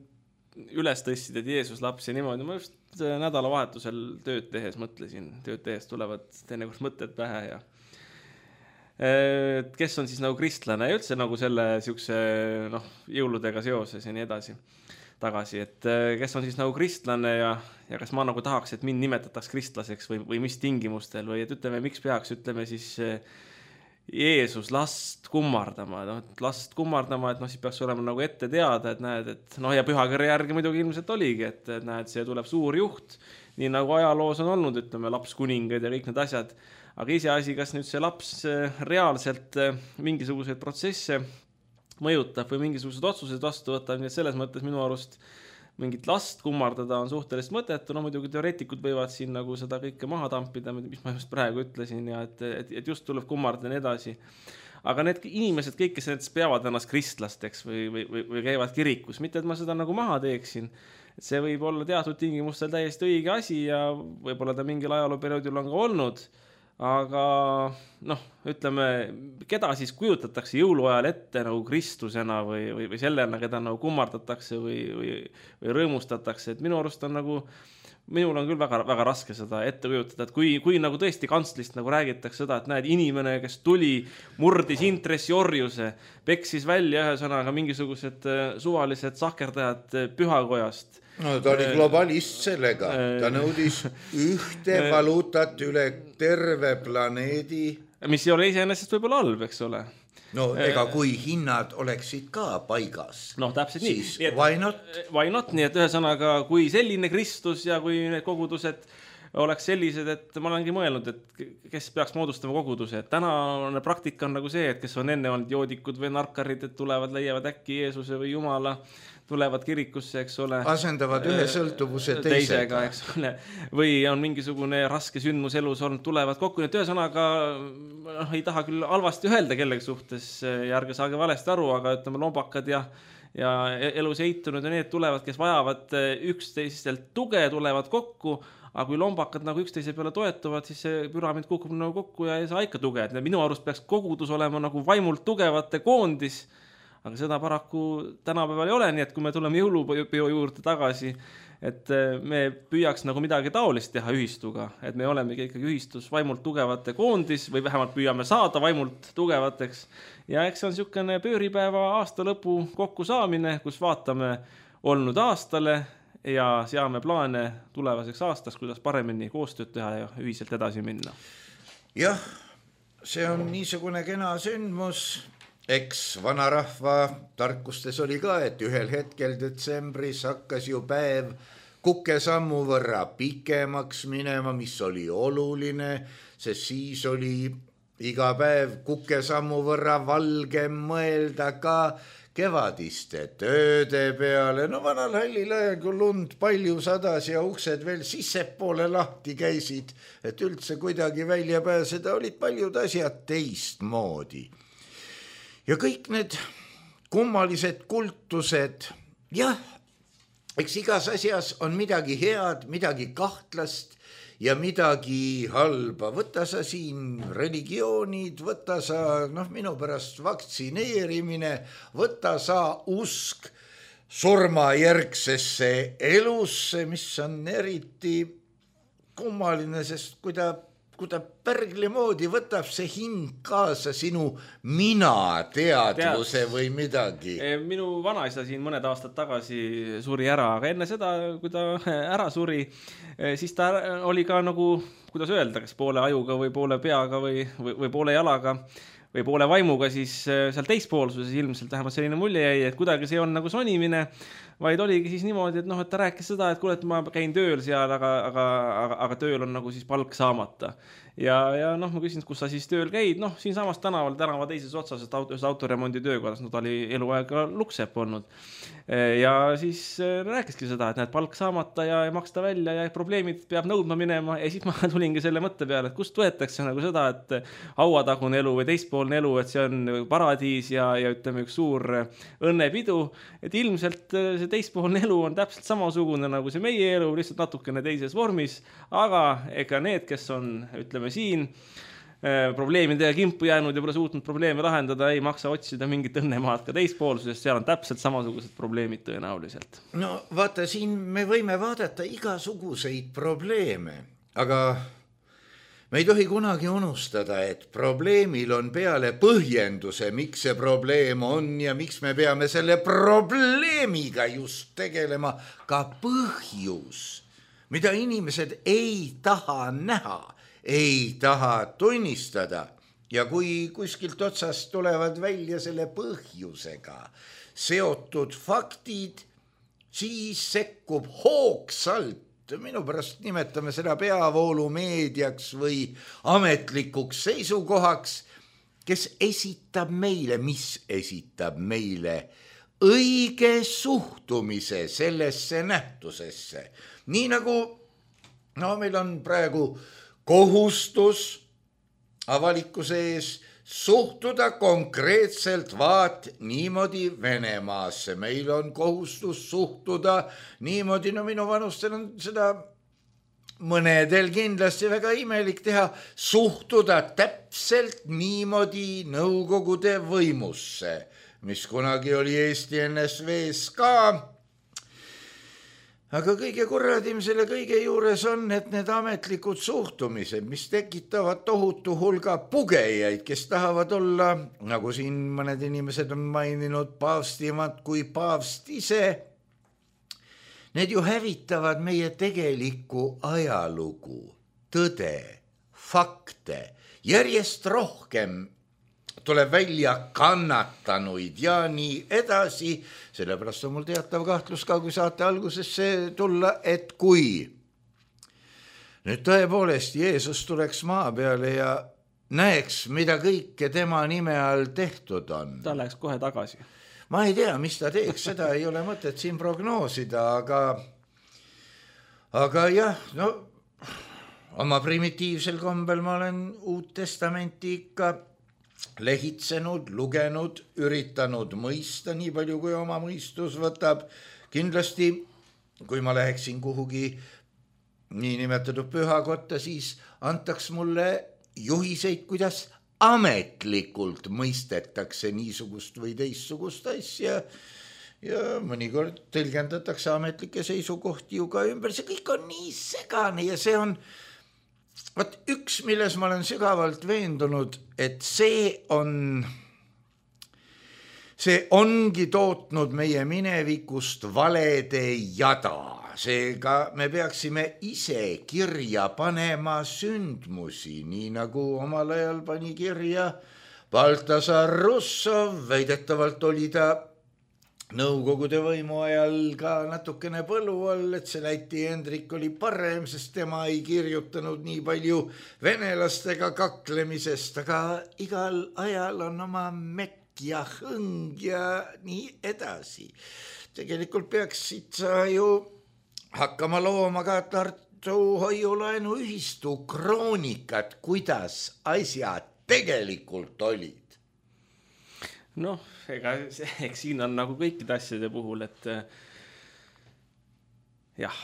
üles tõstsid, et Jeesus laps ja niimoodi, ma just nädalavahetusel tööd tehes mõtlesin, tööd tehes tulevad teinekord mõtted pähe ja kes on siis nagu kristlane ja üldse nagu selle siukse jõuludega seoses ja nii edasi tagasi, et kes on siis nagu kristlane ja kas ma nagu tahaks, et mind nimetataks kristlaseks või mis tingimustel või et ütleme, miks peaks, ütleme siis Jeesus last kummardama, last kummardama, et siis peaks olema nagu ette teada, et näed, et ja pühakirja järgi muidugi ilmselt oligi, et näed, see tuleb suur juht, nii nagu ajaloos on olnud, ütleme, laps kuningad ja kõik need asjad. Aga iseasi, kas nüüd see laps reaalselt mingisuguseid protsesse mõjutab või mingisugused otsused vastu võtab, nii et selles mõttes minu arust mingit last kummardada on suhteliselt mõttetu, no muidugi teoreetikud võivad siin nagu seda kõike maha tampida, mis ma just praegu ütlesin ja et just tuleb kummardada ja nii edasi. Aga need inimesed kõik, kes näiteks peavad ennast kristlasteks või käivad kirikus, mitte et ma seda nagu maha teeksin, et see võib olla teatud tingimustel täiesti õige asi ja võib-olla ta mingil ajalooperioodil on ka olnud, aga noh, ütleme, keda siis kujutatakse jõuluajal ette nagu Kristusena või sellena, keda nagu kummardatakse või rõõmustatakse, et minu arust on nagu, minul on küll väga raske seda ette kujutada, et kui nagu tõesti kantslist nagu räägitakse seda, et näed inimene, kes tuli, murdis intressiorjuse, peksis välja ühe sõnaga mingisugused suvalised sahkerdajad pühakojast. No ta oli globalist sellega, ta nõudis ühte valuutat üle terve planeedi. Mis ei ole iseenesest võib-olla halb, eks ole. No ega kui hinnad oleksid ka paigas. No täpselt nii. Siis why not? Why not, nii et ühesõnaga, kui selline Kristus ja kui need kogudused oleks sellised, et ma olengi mõelnud, et kes peaks moodustama koguduse. Et tänane praktika on nagu see, et kes on enne olnud joodikud või narkarid, et tulevad, leiavad äkki Jeesuse või Jumala, tulevad kirikusse, eks ole. Asendavad ühe sõltuvuse teisega, eks ole. Või on mingisugune raske sündmus elus olnud, tulevad kokku. Nii et ühesõnaga, ei taha küll halvasti öelda kellegi suhtes ja ärge saage valesti aru, aga ütleme lombakad ja elus eitunud ja need tulevad, kes vajavad üksteistelt tuge, tulevad kokku, aga kui lombakad nagu üksteise peale toetuvad, siis see püramiid kukub nagu kokku ja ei saa ikka tuge. Minu arust peaks kogudus olema nagu vaimult tugevate koondis, aga seda paraku tänapäeval ei ole, nii et kui me tuleme jõulupeo juurde tagasi, et me püüaks nagu midagi taolist teha ühistuga, et me oleme ikkagi ühistus vaimult tugevate koondis või vähemalt püüame saada vaimult tugevateks ja eks see on niisugune pööripäeva aasta lõpu kokku saamine, kus vaatame olnud aastale ja seame plaane tulevaseks aastaks, kuidas paremini koostööd teha ja ühiselt edasi minna. Jah, see on niisugune kena sündmus. Eks vanarahva tarkustes oli ka, et ühel hetkel detsembris hakkas ju päev kukesammu võrra pikemaks minema, mis oli oluline, sest siis oli iga päev kukesammu võrra valgem mõelda ka kevadiste tööde peale. No vanal hallil ajal, kui lund palju sadas ja uksed veel sissepoole lahti käisid, et üldse kuidagi välja pääseda, olid paljud asjad teistmoodi. Ja kõik need kummalised kultused, jah, eks igas asjas on midagi head, midagi kahtlast ja midagi halba. Võta sa siin religioonid, võta sa, minu pärast vaktsineerimine, võta sa usk surmajärgsesse elusse, mis on eriti kummaline, sest kui ta pärgli moodi võtab see hing kaasa sinu mina-teadvuse või midagi. Minu vanaisa siin mõned aastad tagasi suri ära, aga enne seda, kui ta ära suri, siis ta oli ka nagu, kuidas öelda, kas poole ajuga või poole peaga või poole jalaga või poole vaimuga, siis seal teispoolsuses ilmselt vähemalt selline mulje jäi, et kuidagi see on nagu sonimine, vaid oligi siis niimoodi, et et ta rääkis seda, et kuule, et ma käin tööl seal, aga tööl on nagu siis palk saamata. Ja ma küsin, kus sa siis tööl käid, siin samas tänava teises otsas, ühes autoremondi töökorras, ta oli eluaega luksepp olnud. Ja siis rääkiski seda, et näed palk saamata ja maksta välja ja probleemid peab nõudma minema ja siis ma tulingi selle mõtte peale, et kust võetakse nagu seda, et hauatagune elu või teispoolne elu, et see on paradiis ja ütleme üks suur õnnepidu, et ilmselt see teispoolne elu on täpselt samasugune nagu see meie elu, lihtsalt natukene teises vormis, aga ega need, kes on, ütleme siin, probleemidega kimpu jäänud ja pole suutnud probleeme lahendada, ei maksa otsida mingit õnnemaad ka teispoolsusest, seal on täpselt samasugused probleemid tõenäoliselt. No vaata, siin me võime vaadata igasuguseid probleeme, aga me ei tohi kunagi unustada, et probleemil on peale põhjenduse, miks see probleem on ja miks me peame selle probleemiga just tegelema, ka põhjus, mida inimesed ei taha näha, ei taha tunnistada ja kui kuskilt otsast tulevad välja selle põhjusega seotud faktid, siis sekkub hoogsalt, minu pärast nimetame seda peavoolumeediaks või ametlikuks seisukohaks, kes esitab meile, mis esitab meile õige suhtumise sellesse nähtusesse. Nii nagu meil on praegu kohustus avalikkuse ees suhtuda konkreetselt vaat niimoodi Venemaasse. Meil on kohustus suhtuda niimoodi, minu vanustel on seda mõnedel kindlasti väga imelik teha, suhtuda täpselt niimoodi Nõukogude võimusse, mis kunagi oli Eesti NSV-s ka. Aga kõige kurradim selle kõige juures on, et need ametlikud suhtumised, mis tekitavad tohutu hulga pugejaid, kes tahavad olla, nagu siin mõned inimesed on maininud, paavstimad kui paavst ise, need ju hävitavad meie tegelikku ajalugu, tõde, fakte, järjest rohkem tuleb välja kannatanuid ja nii edasi. Sellepärast on mul teatav kahtlus ka, kui saate algusesse tulla, et kui nüüd tõepoolest Jeesus tuleks maa peale ja näeks, mida kõike tema nime all tehtud on. Ta läheks kohe tagasi. Ma ei tea, mis ta teeks, seda ei ole mõtet siin prognoosida, aga jah, oma primitiivsel kombel ma olen Uut Testamenti ikka lehitsenud, lugenud, üritanud mõista nii palju, kui oma mõistus võtab. Kindlasti, kui ma läheksin kuhugi niinimetatud pühakotta, siis antaks mulle juhiseid, kuidas ametlikult mõistetakse niisugust või teissugust asja ja mõnikord tõlgendatakse ametlikke seisukohti ju ka ümber. See kõik on nii segane ja see on üks, milles ma olen sügavalt veendunud, et see ongi tootnud meie minevikust valede jada. Seega me peaksime ise kirja panema sündmusi, nii nagu omal ajal pani kirja Baltasar Russov, väidetavalt oli ta Nõukogude võimu ajal ka natukene põlu all, et see Läti Hendrik oli parem, sest tema ei kirjutanud nii palju venelastega kaklemisest, aga igal ajal on oma mekk ja hõng ja nii edasi. Tegelikult peaksid sa ju hakkama looma ka Tartu hoiulaenuühistu kroonikat, kuidas asjad tegelikult olid. Eks siin on nagu kõikide asjade puhul, et jah,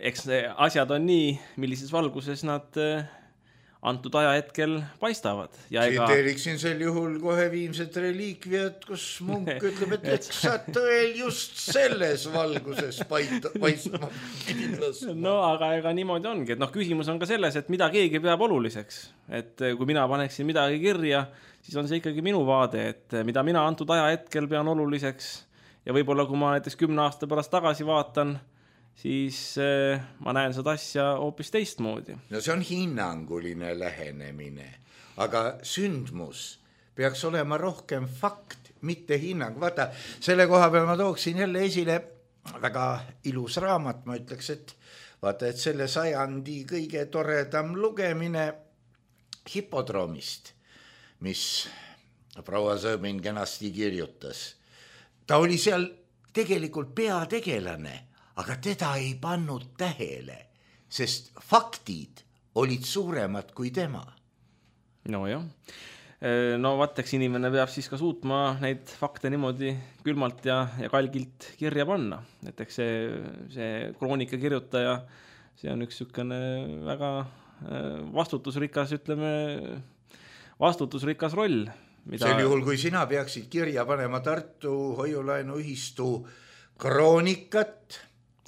eks asjad on nii, millises valguses nad antud ajahetkel paistavad. Tsiteeriksin sel juhul kohe Viimset reliikviat, kus munk ütleb, et eks sa tõel just selles valguses paistma kindlas. Aga ega niimoodi ongi, et küsimus on ka selles, et mida keegi peab oluliseks. Et kui mina paneksin midagi kirja, siis on see ikkagi minu vaade, et mida mina antud ajahetkel pean oluliseks ja võib-olla kui ma näiteks 10 aasta pärast tagasi vaatan, siis ma näen seda asja hoopis teistmoodi. See on hinnanguline lähenemine, aga sündmus peaks olema rohkem fakt, mitte hinnang. Vaata, selle koha peal ma tooksin jälle esile väga ilus raamat, ma ütleks, et vaata, et selle sajandi kõige toredam lugemine Hipodroomist, mis proua Sõõmin kenasti kirjutas. Ta oli seal tegelikult peategelane, aga teda ei pannud tähele, sest faktid olid suuremad kui tema. Nojah. Vaateks inimene peab siis ka suutma neid fakte niimoodi külmalt ja kalgilt kirja panna. Et eks see kroonika kirjutaja, see on üks sükene väga vastutusrikas roll. Sel juhul, kui sina peaksid kirja panema Tartu hoiulaenuühistu kroonikat,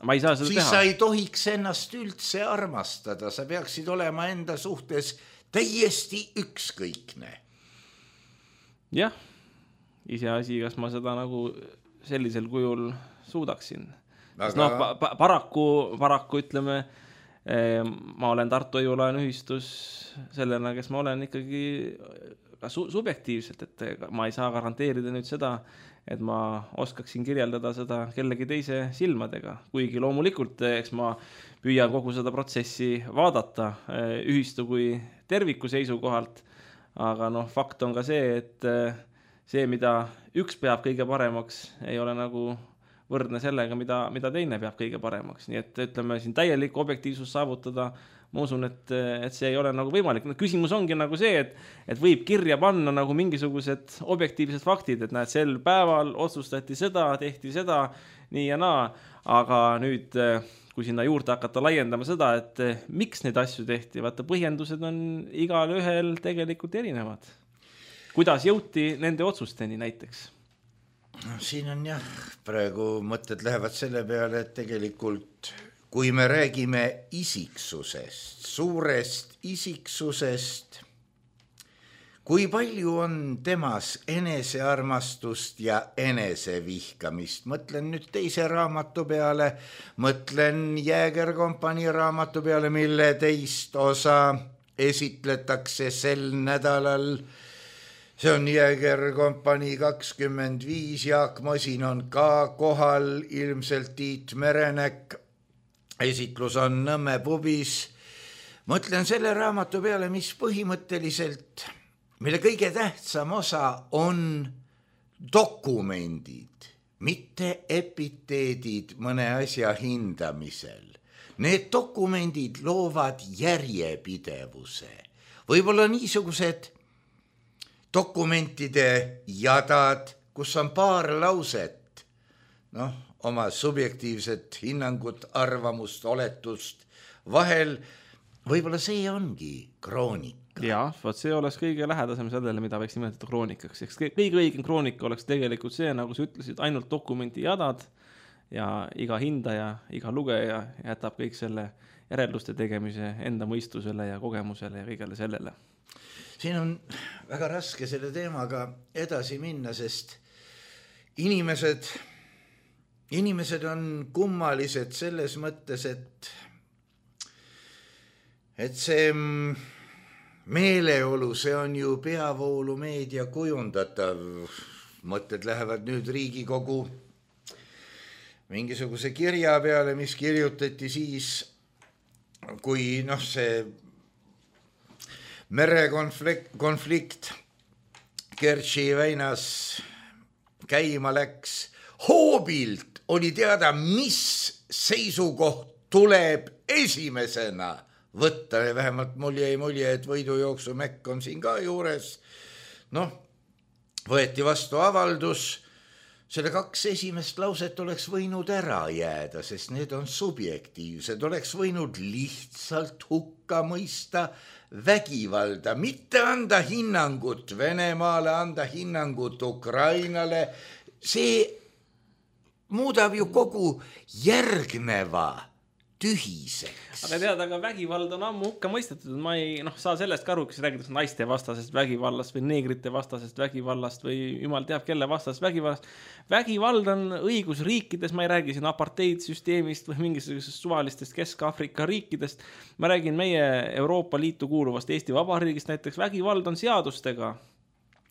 ma ei saa seda siis teha. Sa ei tohiks ennast üldse armastada, sa peaksid olema enda suhtes täiesti ükskõikne. Jah, iseasi, kas ma seda nagu sellisel kujul suudaksin. Paraku ütleme, ma olen Tartu hoiulaenuühistus sellena, kes ma olen ikkagi ka subjektiivselt, et ma ei saa garanteerida nüüd seda, et ma oskaksin kirjeldada seda kellegi teise silmadega. Kuigi loomulikult, eks ma püüan kogu seda protsessi vaadata ühistu kui terviku seisukohalt, aga fakt on ka see, et see, mida üks peab kõige paremaks, ei ole nagu võrdne sellega, mida teine peab kõige paremaks. Nii et ütleme siin täielik objektiivsus saavutada, ma usun, et see ei ole nagu võimalik. Küsimus ongi nagu see, et võib kirja panna nagu mingisugused objektiivsed faktid, et näed, sel päeval otsustati seda, tehti seda, nii ja naa, aga nüüd, kui sinna juurde hakata laiendama seda, et miks neid asju tehti, vaata põhjendused on igal ühel tegelikult erinevad. Kuidas jõuti nende otsusteni näiteks? Siin on jah, praegu mõtted lähevad selle peale, et tegelikult kui me räägime isiksusest, suurest isiksusest, kui palju on temas enesearmastust ja enesevihkamist. Mõtlen nüüd teise raamatu peale, mõtlen Jäägerkompanii raamatu peale, mille teist osa esitletakse sel nädalal. See on Jäägerkompanii 25, Jaak Mosin on ka kohal, ilmselt Tiit Merenek. Esitlus on Nõmme pubis. Mõtlen selle raamatu peale, mis põhimõtteliselt, mille kõige tähtsam osa on dokumendid, mitte epiteedid mõne asja hindamisel. Need dokumendid loovad järjepidevuse. Võib-olla niisugused dokumentide jadad, kus on paar lauset, oma subjektiivset hinnangut, arvamust, oletust vahel, võib-olla see ongi kroonika. Jaa, see oleks kõige lähedasem sellele, mida võiks nimetada kroonikaks. Kõige õigem kroonika oleks tegelikult see, nagu sa ütlesid, ainult dokumenti jadad ja iga hindaja, iga lugeja jätab kõik selle järelduste tegemise enda mõistusele ja kogemusele ja kõigele sellele. Siin on väga raske selle teemaga edasi minna, sest inimesed on kummalised selles mõttes, et see meeleolu, see on ju peavoolumeedia kujundatav. Mõtted lähevad nüüd Riigikogu mingisuguse kirja peale, mis kirjutati siis, kui see merekonflikt Kertši väinas käima läks. Hoobilt oli teada, mis seisukoht tuleb esimesena võtta. Ja vähemalt mul jäi mulje, et võidujooksu Mekk on siin ka juures. Võeti vastu avaldus. Selle 2 esimest lauset oleks võinud ära jääda, sest need on subjektiivsed. Oleks võinud lihtsalt hukka mõista vägivalda, mitte anda hinnangut Venemaale, anda hinnangut Ukrainale. See muudab ju kogu järgneva tühiseks. Aga tead, aga vägivald on ammu hukka mõistetud. Ma ei saa sellest ka aru, kes räägitakse naiste vastasest vägivallast või neegrite vastasest vägivallast või jumal teab kelle vastasest vägivallast. Vägivald on õigusriikides, ma ei räägi siin apartheidsüsteemist või mingisugusest suvalistest Kesk-Afrika riikidest. Ma räägin meie Euroopa Liitu kuuluvast Eesti Vabariigist näiteks. Vägivald on seadustega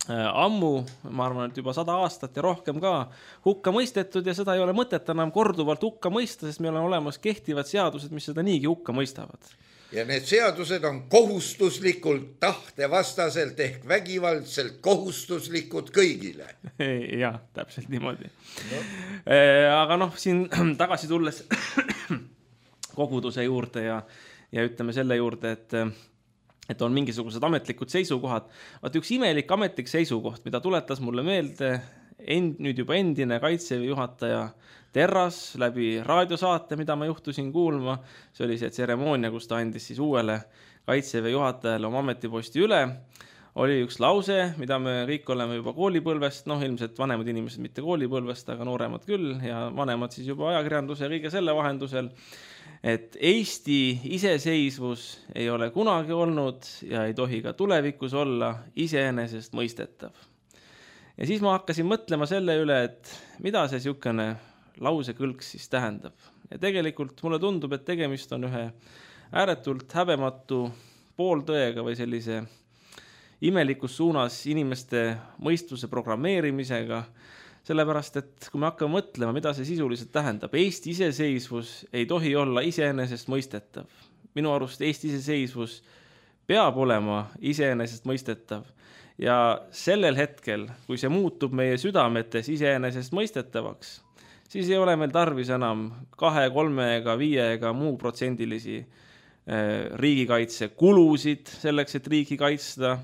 ammu, ma arvan, et juba 100 aastat ja rohkem ka hukka mõistetud ja seda ei ole mõtet enam korduvalt hukka mõista, sest meil on olemas kehtivad seadused, mis seda niigi hukka mõistavad. Ja need seadused on kohustuslikult tahtevastaselt ehk vägivaldselt kohustuslikud kõigile. Jah, täpselt niimoodi. Aga siin tagasi tulles koguduse juurde ja ütleme selle juurde, et on mingisugused ametlikud seisukohad. Vaat üks imelik ametlik seisukoht, mida tuletas mulle meelde nüüd juba endine Kaitseväe juhataja Terras läbi raadiosaate, mida ma juhtusin kuulma. See oli see tseremoonia, kus ta andis siis uuele Kaitseväe juhatajale oma ametiposti üle. Oli üks lause, mida me kõik oleme juba koolipõlvest, ilmselt vanemad inimesed mitte koolipõlvest, aga nooremad küll ja vanemad siis juba ajakirjanduse ja kõige selle vahendusel, et Eesti iseseisvus ei ole kunagi olnud ja ei tohi ka tulevikus olla iseenesest mõistetav. Ja siis ma hakkasin mõtlema selle üle, et mida see niisugune lausekõlks siis tähendab. Ja tegelikult mulle tundub, et tegemist on ühe ääretult häbematu pooltõega või sellise imelikus suunas inimeste mõistuse programmeerimisega, sellepärast, et kui me hakkame mõtlema, mida see sisuliselt tähendab, Eesti iseseisvus ei tohi olla iseenesest mõistetav. Minu arust Eesti iseseisvus peab olema iseenesest mõistetav Ja sellel hetkel, kui see muutub meie südametes iseenesest mõistetavaks, siis ei ole meil tarvis enam 2, 3 ega 5 ega muu protsendilisi riigikaitse kulusid selleks, et riiki kaitsta,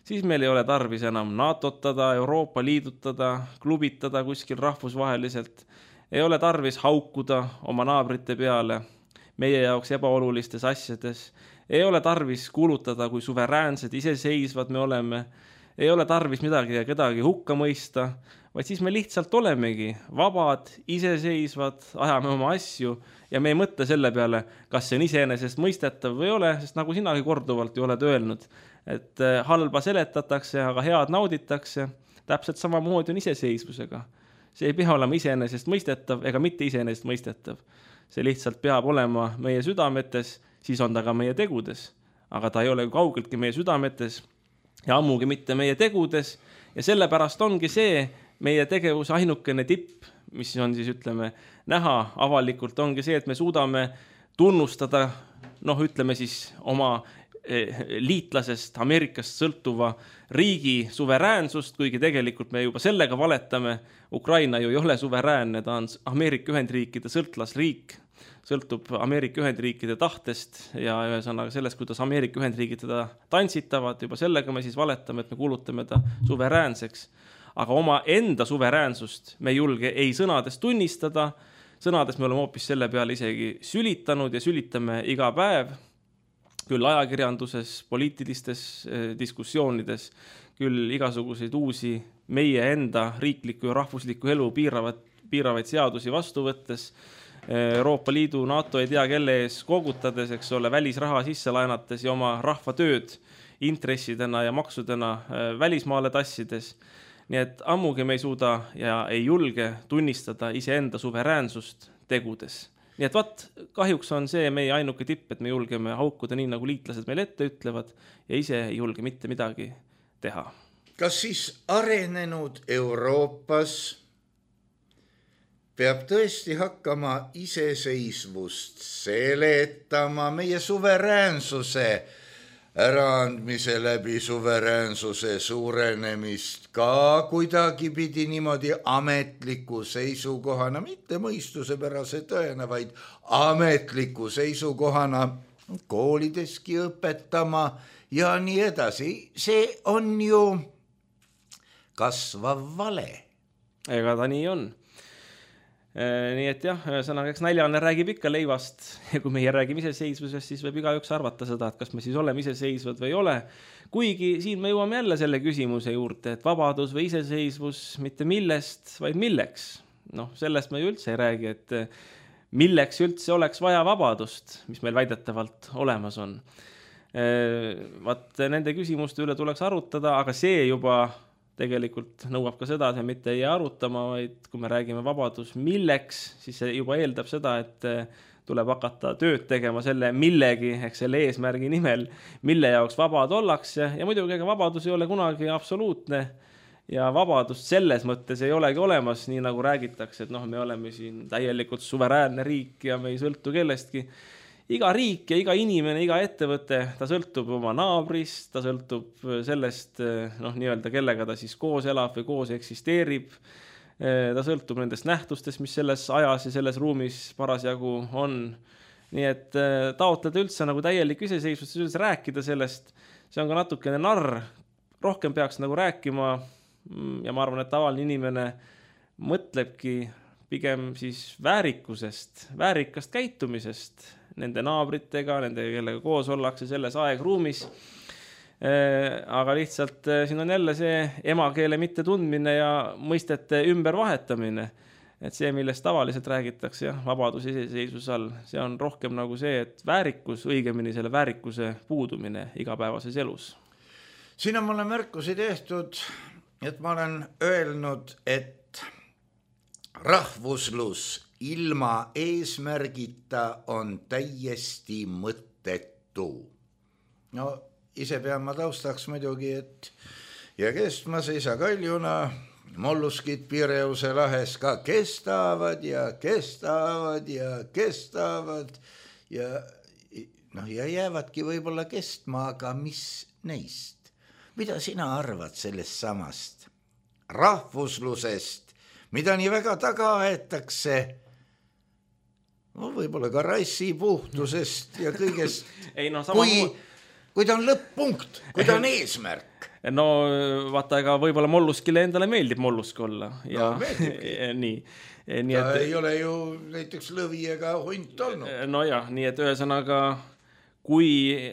siis meil ei ole tarvis enam NATO-tada, Euroopa Liidutada, klubitada kuskil rahvusvaheliselt, ei ole tarvis haukuda oma naabrite peale meie jaoks ebaolulistes asjades, ei ole tarvis kuulutada, kui suveräänsed, iseseisvad me oleme, ei ole tarvis midagi ja kedagi hukka mõista, vaid siis me lihtsalt olemegi vabad, iseseisvad, ajame oma asju ja me ei mõtle selle peale, kas see on iseenesest mõistetav või ei ole, sest nagu sinagi korduvalt ju oled öelnud, et halba seletatakse, aga head nauditakse, täpselt samamoodi on iseseisvusega. See ei pea olema iseenesest mõistetav ega mitte iseenesest mõistetav. See lihtsalt peab olema meie südametes, siis on ta ka meie tegudes, aga ta ei ole kaugeltki meie südametes ja ammugi mitte meie tegudes ja sellepärast ongi see meie tegevuse ainukene tipp, mis on siis ütleme näha avalikult, ongi see, et me suudame tunnustada, ütleme siis oma liitlasest Ameerikast sõltuva riigi suveräänsust, kuigi tegelikult me juba sellega valetame. Ukraina ju ei ole suveräänne, ta on Ameerika Ühendriikide sõltlasriik, sõltub Ameerika Ühendriikide tahtest ja ühesõnaga sellest, kuidas Ameerika Ühendriigid teda tantsitavad, juba sellega me siis valetame, et me kuulutame ta suveräänseks. Aga oma enda suveräänsust me julge ei sõnades tunnistada, sõnades me oleme hoopis selle peale isegi sülitanud ja sülitame iga päev, küll ajakirjanduses, poliitilistes diskussioonides, küll igasuguseid uusi meie enda riikliku ja rahvusliku elu piiravaid seadusi vastu võttes, Euroopa Liidu, NATO ei tea kelle ees kogutades, eks ole, välisraha sisse laenates ja oma rahva tööd intressidena ja maksudena välismaale tassides. Nii et ammugi me ei suuda ja ei julge tunnistada iseenda suveräänsust tegudes. Nii et kahjuks on see meie ainuke tipp, et me julgeme haukuda nii, nagu liitlased meil ette ütlevad ja ise ei julge mitte midagi teha. Kas siis arenenud Euroopas peab tõesti hakkama iseseisvust seletama meie suveräänsuse äraandmise läbi suveräänsuse suurenemist ka kuidagi pidi niimoodi ametliku seisukohana, mitte mõistusepärase tõena, vaid ametliku seisukohana koolideski õpetama ja nii edasi. See on ju kasvav vale. Ega ta nii on. Nii et jah, sõnaga, eks näljane räägib ikka leivast ja kui meie räägime iseseisvusest, siis võib igaüks arvata seda, et kas me siis oleme iseseisvad või ei ole. Kuigi siin me jõuame jälle selle küsimuse juurde, et vabadus või iseseisvus mitte millest, vaid milleks. Sellest me ju üldse ei räägi, et milleks üldse oleks vaja vabadust, mis meil väidetavalt olemas on. Nende küsimuste üle tuleks arutada, aga see juba tegelikult nõuab ka seda, et me mitte ei arutama, vaid kui me räägime vabadus milleks, siis see juba eeldab seda, et tuleb hakata tööd tegema selle millegi, ehk selle eesmärgi nimel, mille jaoks vabad ollakse ja muidugi ega vabadus ei ole kunagi absoluutne ja vabadust selles mõttes ei olegi olemas, nii nagu räägitakse, et me oleme siin täielikult suveräänne riik ja me ei sõltu kellestki. Iga riik ja iga inimene, iga ettevõte, ta sõltub oma naabrist, ta sõltub sellest, nii-öelda kellega ta siis koos elab või koos eksisteerib. Ta sõltub nendest nähtustest, mis selles ajas ja selles ruumis parasjagu on. Nii et taotleda üldse nagu täielik iseseisvust, üldse rääkida sellest, see on ka natukene narr. Rohkem peaks nagu rääkima ja ma arvan, et tavaline inimene mõtlebki pigem siis väärikusest, väärikast käitumisest, nende naabritega, nende kellega koos ollakse selles aegruumis. Aga lihtsalt siin on jälle see emakeele mitte tundmine ja mõistete ümbervahetamine. Et see, millest tavaliselt räägitakse, vabadus iseseisvus all, see on rohkem nagu see, et väärikus, õigemini selle väärikuse puudumine igapäevases elus. Siin on mulle märkusi tehtud, et ma olen öelnud, et rahvuslus ilma eesmärgita on täiesti mõttetu. Ise pean ma taustaks muidugi, et ja kestmas ei saa kaljuna, molluskid Pireuse lahes ka kestavad ja kestavad ja kestavad ja jäävadki võib-olla kestma, aga mis neist? mida sina arvad sellest samast rahvuslusest, mida nii väga taga aetakse, võib-olla ka rassi puhtusest ja kõigest, ei, no, sama kui ta on lõpp-punkt, kui ta on eesmärk. No vaata, ega võib-olla molluskile endale meeldib mollusk olla. Ja, no meeldibki. Nii ta ei ole ju näiteks lõvi ega hunt olnud. No jah, nii et ühesõnaga, kui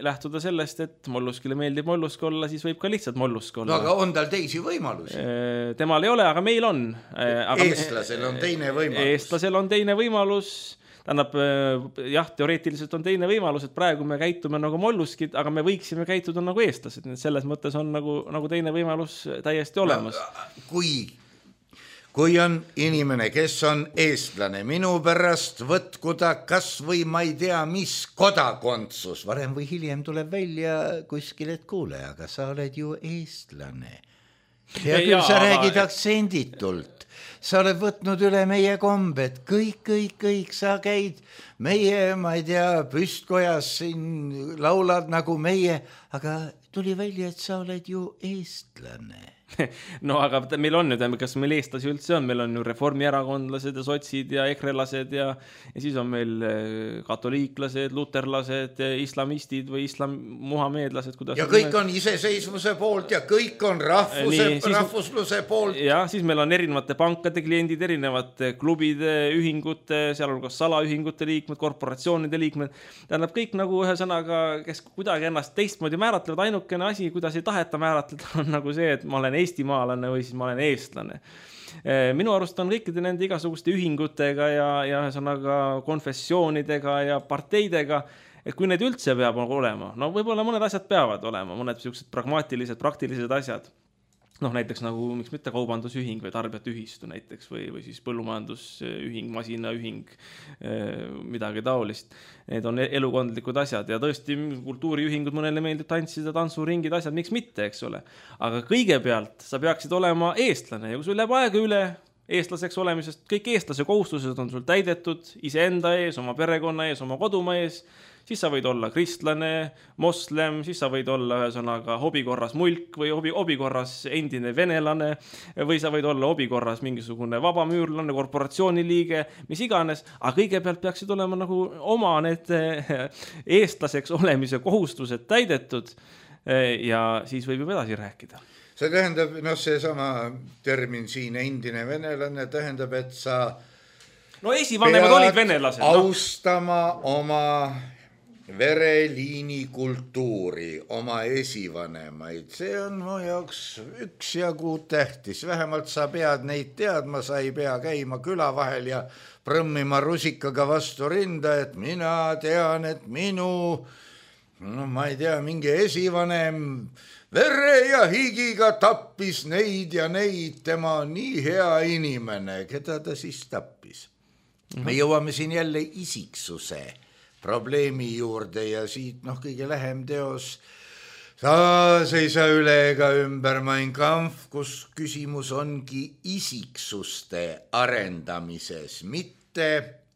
lähtuda sellest, et molluskile meeldib mollusk olla, siis võib ka lihtsalt mollusk olla. No aga on tal teisi võimalusi? Temal ei ole, aga meil on. Eestlasel on teine võimalus. Eestlasel on teine võimalus. Tähendab, jah, teoreetiliselt on teine võimalus, et praegu me käitume nagu molluskid, aga me võiksime käituda nagu eestlased. Selles mõttes on nagu teine võimalus täiesti olemas. No, kui on inimene, kes on eestlane, minu pärast võtku ta kas või ma ei tea, mis kodakondsus, varem või hiljem tuleb välja kuskil, et kuule, aga sa oled ju eestlane. Ja küll sa räägid aktsenditult. Sa oled võtnud üle meie kombed, kõik, sa käid meie, ma ei tea, püstkojas siin laulad nagu meie, aga tuli välja, et sa oled ju eestlane. No aga meil on ju, kas meil eestlasi üldse on, meil on ju reformierakondlased ja sotsid ja ekrelased ja siis on meil katoliiklased, luterlased, islamistid või muhameedlased. Ja kõik on iseseisvuse poolt ja kõik on rahvusluse poolt. Ja siis meil on erinevate pankade kliendid, erinevate klubide, ühingute, sealhulgas salaühingute liikmed, korporatsioonide liikmed. Tähendab kõik nagu ühesõnaga, kes kuidagi ennast teistmoodi määratlevad, ainukene asi, kuidas ei taheta määratleda, on nagu see, et ma olen eestimaalane või siis ma olen eestlane. Minu arust on kõikide nende igasuguste ühingutega ja ühesõnaga konfessioonidega ja parteidega, et kui need üldse peab olema, no võib-olla mõned asjad peavad olema, mõned sellised pragmaatilised, praktilised asjad. Noh, näiteks nagu, miks mitte kaubandusühing või tarbijate ühistu näiteks või siis põllumajandusühing, masinaühing, midagi taolist. Need on elukondlikud asjad ja tõesti kultuuriühingud mõnele meeldib tantsida, tantsuringid, asjad, miks mitte, eks ole. Aga kõigepealt sa peaksid olema eestlane ja kui sul läheb aega üle eestlaseks olemisest, kõik eestlase kohustused on sul täidetud iseenda ees, oma perekonna ees, oma kodumaa ees, siis sa võid olla kristlane, moslem, siis sa võid olla ühesõnaga hobikorras mulk või hobikorras endine venelane või sa võid olla hobikorras mingisugune vabamüürlane, korporatsiooniliige, mis iganes, aga kõigepealt peaksid olema nagu oma need eestlaseks olemise kohustused täidetud ja siis võib juba edasi rääkida. See tähendab, see sama termin siin, endine venelane, tähendab, et sa esivanemad olid venelased. Austama oma vereliini kultuuri, oma esivanemaid, see on mu jaoks üksjagu tähtis, vähemalt sa pead neid teadma, sa ei pea käima küla vahel ja prõmmima rusikaga vastu rinda, et mina tean, et ma ei tea, mingi esivanem vere ja higiga tappis neid ja neid, tema on nii hea inimene, keda ta siis tappis. Me jõuame siin jälle isiksuse probleemi juurde ja siit kõige lähem teos taas ei saa üle ega ümber Mein Kampf, kus küsimus ongi isiksuste arendamises, mitte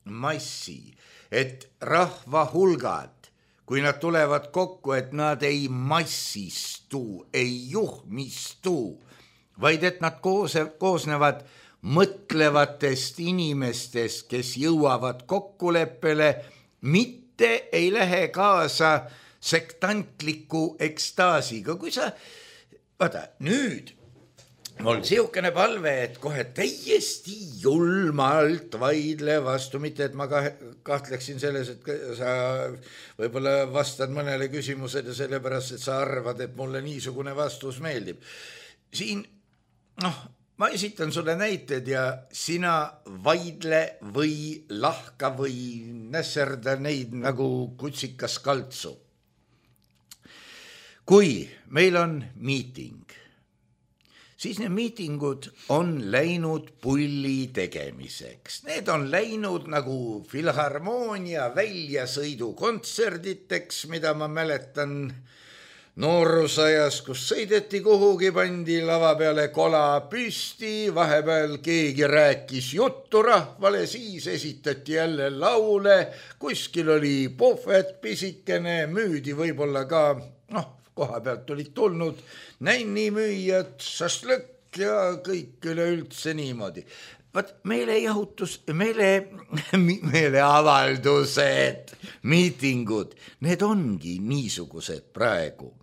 massi, et rahva hulgad, kui nad tulevad kokku, et nad ei massistu, ei juhmistu, vaid et nad koosnevad mõtlevatest inimestest, kes jõuavad kokkuleppele, mitte ei lähe kaasa sektantliku ekstaasiga. Kui sa, nüüd mul siukene palve, et kohe täiesti julmalt vaidle vastu, mitte et ma kahtleksin selles, et sa võib-olla vastad mõnele küsimused ja sellepärast, et sa arvad, et mulle niisugune vastus meeldib. Siin, ma esitan sulle näited ja sina vaidle või lahka või nässerda neid nagu kutsikas kaltsu. Kui meil on miiting, siis need miitingud on läinud pulli tegemiseks. Need on läinud nagu filharmoonia väljasõidukontserditeks, mida ma mäletan noorusajas, kus sõideti kuhugi, pandi lava peale kola püsti, vahepeal keegi rääkis juttu rahvale, siis esitati jälle laule, kuskil oli puhvet pisikene, müüdi võib-olla ka koha pealt olid tulnud nännimüüjad, šašlõkk ja kõik üleüldse niimoodi. Vaat meeleavaldused, miitingud, need ongi niisugused praegu.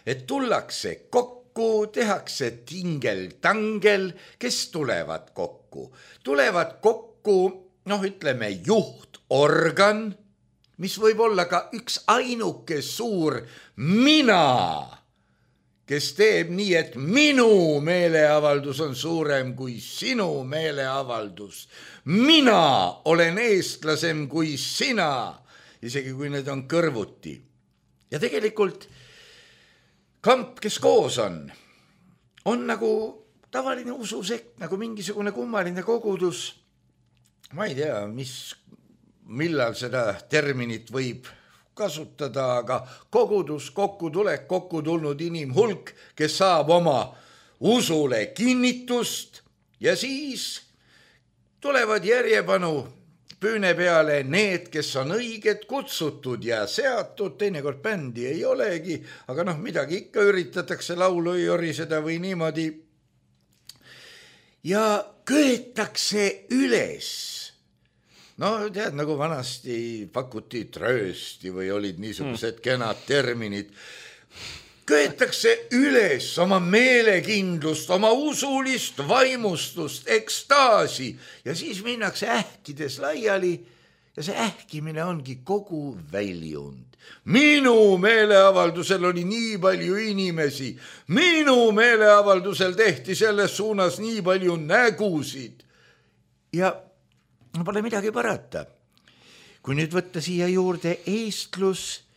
Et tullakse kokku, tehakse tingel-tangel, kes tulevad kokku? Tulevad kokku, ütleme, juhtorgan, mis võib olla ka üks ainuke suur mina, kes teeb nii, et minu meeleavaldus on suurem kui sinu meeleavaldus. Mina olen eestlasem kui sina, isegi kui need on kõrvuti. Ja tegelikult kamp, kes koos on nagu tavaline ususekt, nagu mingisugune kummaline kogudus. Ma ei tea, millal seda terminit võib kasutada, aga kogudus, kokkutulek, kokku tulnud inimhulk, kes saab oma usule kinnitust ja siis tulevad järjepanu püüne peale need, kes on õiged, kutsutud ja seatud, teinekord bändi ei olegi, aga midagi ikka üritatakse laulu joriseda või niimoodi. Ja köetakse üles. Tead, nagu vanasti pakuti tröösti või olid niisugused kenad terminid. Köetakse üles oma meelekindlust, oma usulist vaimustust, ekstaasi ja siis minnakse ähkides laiali ja see ähkimine ongi kogu väljund. Minu meeleavaldusel oli nii palju inimesi, minu meeleavaldusel tehti selles suunas nii palju nägusid ja pole midagi parata. Kui nüüd võtta siia juurde eestlus,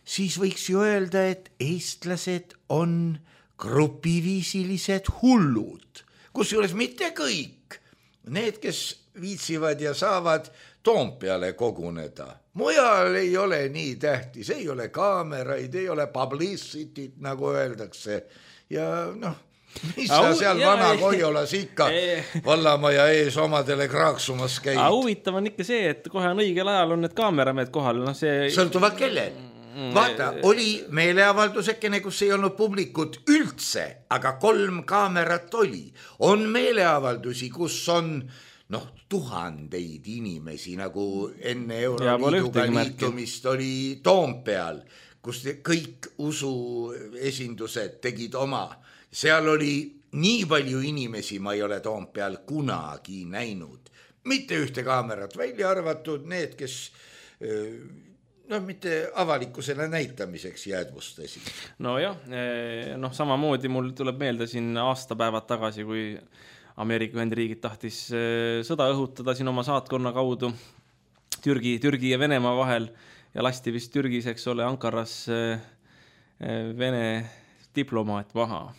siis võiks ju öelda, et eestlased on grupiviisilised hullud, kusjuures mitte kõik. Need, kes viitsivad ja saavad Toompeale koguneda. Mujal ei ole nii tähtis, ei ole kaameraid, ei ole publicityt, nagu öeldakse. Ja mis sa seal vana Koiolas ikka vallamaja ees omadele kraaksumas käid? Huvitav on ikka see, et kohe on õigel ajal on need kaameramehed kohal. Sõltuvad kellel? Vaata, oli meeleavaldusekene, kus ei olnud publikut üldse, aga 3 kaamerat oli. On meeleavaldusi, kus on tuhandeid inimesi, nagu enne Euroliiduga liitumist oli Toompeal, kus kõik usuesindused tegid oma. Seal oli nii palju inimesi, ma ei ole Toompeal kunagi näinud. Mitte ühte kaamerat välja arvatud, need, kes mitte avalikkusele näitamiseks jäädvustasid. Samamoodi mul tuleb meelde siin aastapäevad tagasi, kui Ameerika Ühendriigid tahtis sõda õhutada siin oma saatkonna kaudu Türgi ja Venemaa vahel ja lasti vist Türgis, eks ole, Ankaras Vene diplomaat maha.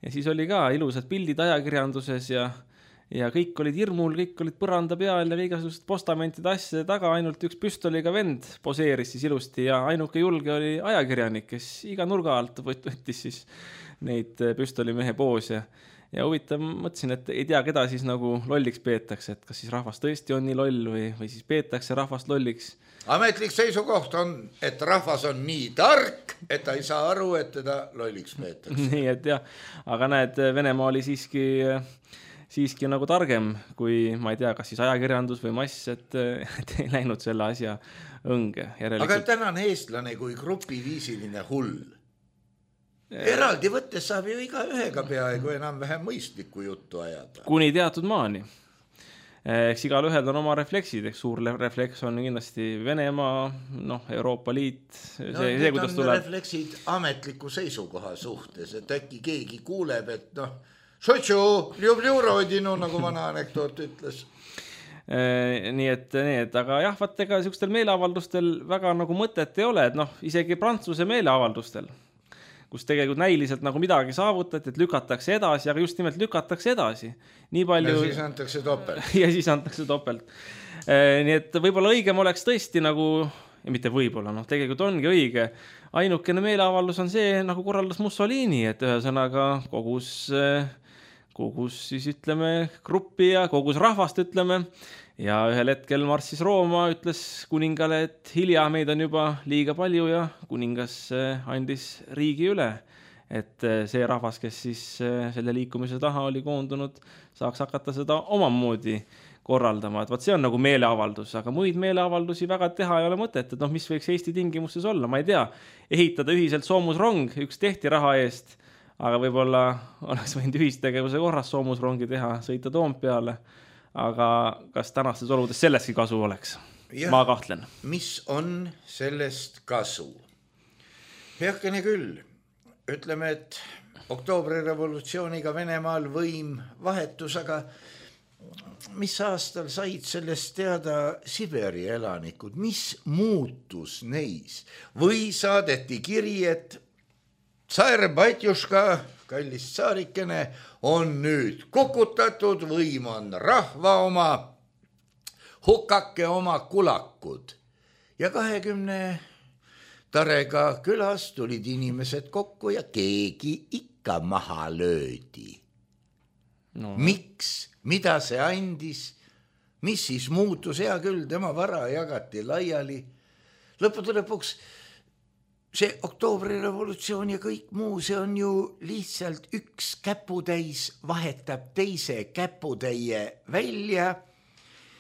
Ja siis oli ka ilusad pildid ajakirjanduses ja kõik olid hirmul, kõik olid põranda peal ja igasugused postamentide asjade taga, ainult üks püstoliga vend poseeris siis ilusti ja ainuke julge oli ajakirjanik, kes iga nurga alt võttis siis neid püstolimehe poose. Ja huvitav, mõtlesin, et ei tea, keda siis nagu lolliks peetakse, et kas siis rahvas tõesti on nii loll või siis peetakse rahvast lolliks. Ametlik seisukoht on, et rahvas on nii tark, et ta ei saa aru, et teda lolliks peetakse. Nii, et jah, aga näed, Venemaa oli siiski nagu targem, kui ma ei tea, kas siis ajakirjandus või mass, et ei läinud selle asja õnge. Aga tänane eestlane kui grupiviisiline hull. Eraldi võttes saab ju iga ühega peaaegu enam vähem mõistlikku juttu ajada. Kuni teatud maani. Eks igal ühel on oma refleksid, eks suur refleks on kindlasti Venemaa, Euroopa Liit. Need on refleksid ametliku seisukoha suhtes, et äkki keegi kuuleb, et šotšu, ljublju rodinu, nagu vana anekdoot ütles. Nii et, aga jah, vaat ega sellistel meeleavaldustel väga nagu mõtet ei ole, et isegi Prantsuse meeleavaldustel, kus tegelikult näiliselt nagu midagi saavutati, et lükatakse edasi, aga just nimelt lükatakse edasi. Nii palju... Ja siis antakse topelt. Ja siis antakse topelt. Nii et võib-olla õigem oleks tõesti nagu, ja mitte võib-olla, tegelikult ongi õige. Ainukene meeleavaldus on see, nagu korraldas Mussolini, et ühesõnaga kogus siis ütleme gruppi ja kogus rahvast ütleme ja ühel hetkel marssis Rooma, ütles kuningale, et hilja meid on juba liiga palju ja kuningas andis riigi üle. Et see rahvas, kes siis selle liikumise taha oli koondunud, saaks hakata seda omamoodi korraldama. Et vaat see on nagu meeleavaldus, aga muid meeleavaldusi väga teha ei ole mõtet. Et mis võiks Eesti tingimustes olla? Ma ei tea, ehitada ühiselt soomusrong, üks tehti raha eest, aga võib-olla oleks võinud ühistegevuse korras soomusrongi teha, sõita Toompeale. Aga kas tänastes oludes sellestki kasu oleks? Ma kahtlen. Mis on sellest kasu? Heakene küll. Ütleme, et oktoobrirevolutsiooniga Venemaal võim vahetus, aga mis aastal said sellest teada Siberi elanikud? Mis muutus neis? Või saadeti kiri, et tsaar Batjuška, kallis tsaarikene, on nüüd kukutatud, võim on rahva oma, hukake oma kulakud. Ja 20 Tarega külas tulid inimesed kokku ja keegi ikka maha löödi. No. Miks? Mida see andis? Mis siis muutus? Hea küll, tema vara jagati laiali. Lõppude lõpuks see oktoobrirevolutsioon ja kõik muu, see on ju lihtsalt üks käputäis vahetab teise käputäie välja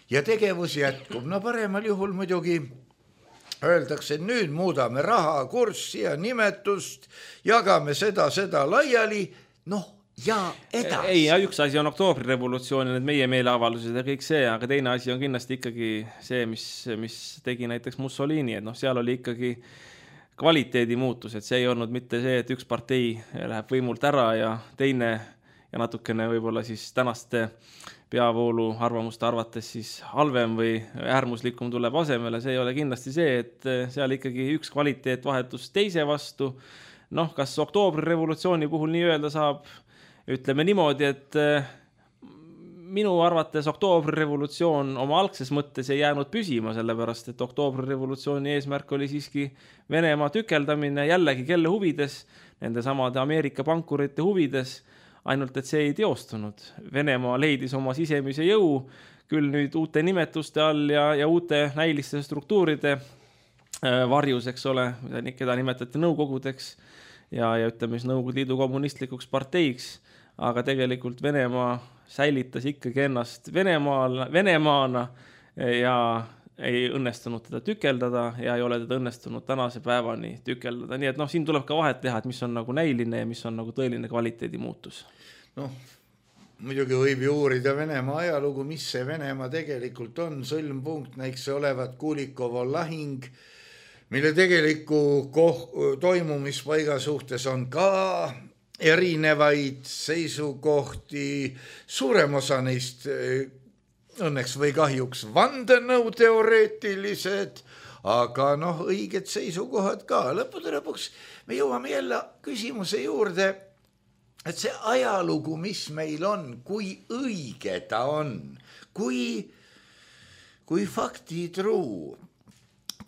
ja tegevus jätkub. No paremal juhul muidugi öeldakse, et nüüd muudame raha kurssi ja nimetust, jagame seda laiali, ja edasi. Ei, üks asi on oktoobrirevolutsioon ja need meie meeleavaldused ja kõik see, aga teine asi on kindlasti ikkagi see, mis tegi näiteks Mussolini, et seal oli ikkagi kvaliteedi muutus, et see ei olnud mitte see, et üks partei läheb võimult ära ja teine ja natukene võib-olla siis tänaste peavoolu arvamuste arvates siis halvem või äärmuslikum tuleb asemele. See ei ole kindlasti see, et seal ikkagi üks kvaliteet vahetus teise vastu. Kas oktoobrirevolutsiooni puhul nii öelda saab, ütleme niimoodi, et minu arvates oktoobrirevolutsioon oma algses mõttes ei jäänud püsima, sellepärast, et oktoobrirevolutsiooni eesmärk oli siiski Venemaa tükeldamine jällegi kelle huvides, nende samade Ameerika pankurite huvides, ainult et see ei teostunud. Venemaa leidis oma sisemise jõu, küll nüüd uute nimetuste all ja uute näiliste struktuuride varjus, eks ole, keda nimetati nõukogudeks ja ütleme siis Nõukogude Liidu kommunistlikuks parteiks, aga tegelikult Venemaa säilitas ikkagi ennast Venemaana ja ei õnnestunud teda tükeldada ja ei ole teda õnnestunud tänase päevani tükeldada. Nii et siin tuleb ka vahet teha, et mis on nagu näiline ja mis on nagu tõeline kvaliteedi muutus. Muidugi võib ju uurida Venemaa ajalugu, mis see Venemaa tegelikult on. Sõlmpunkt näiks olevat Kulikovo lahing, mille tegeliku toimumispaiga suhtes on ka erinevaid seisukohti. Suurem osa neist õnneks või kahjuks vandenõuteoreetilised, aga õiged seisukohad ka. Lõppude lõpuks me jõuame jälle küsimuse juurde, et see ajalugu, mis meil on, kui õige ta on, kui faktitruu,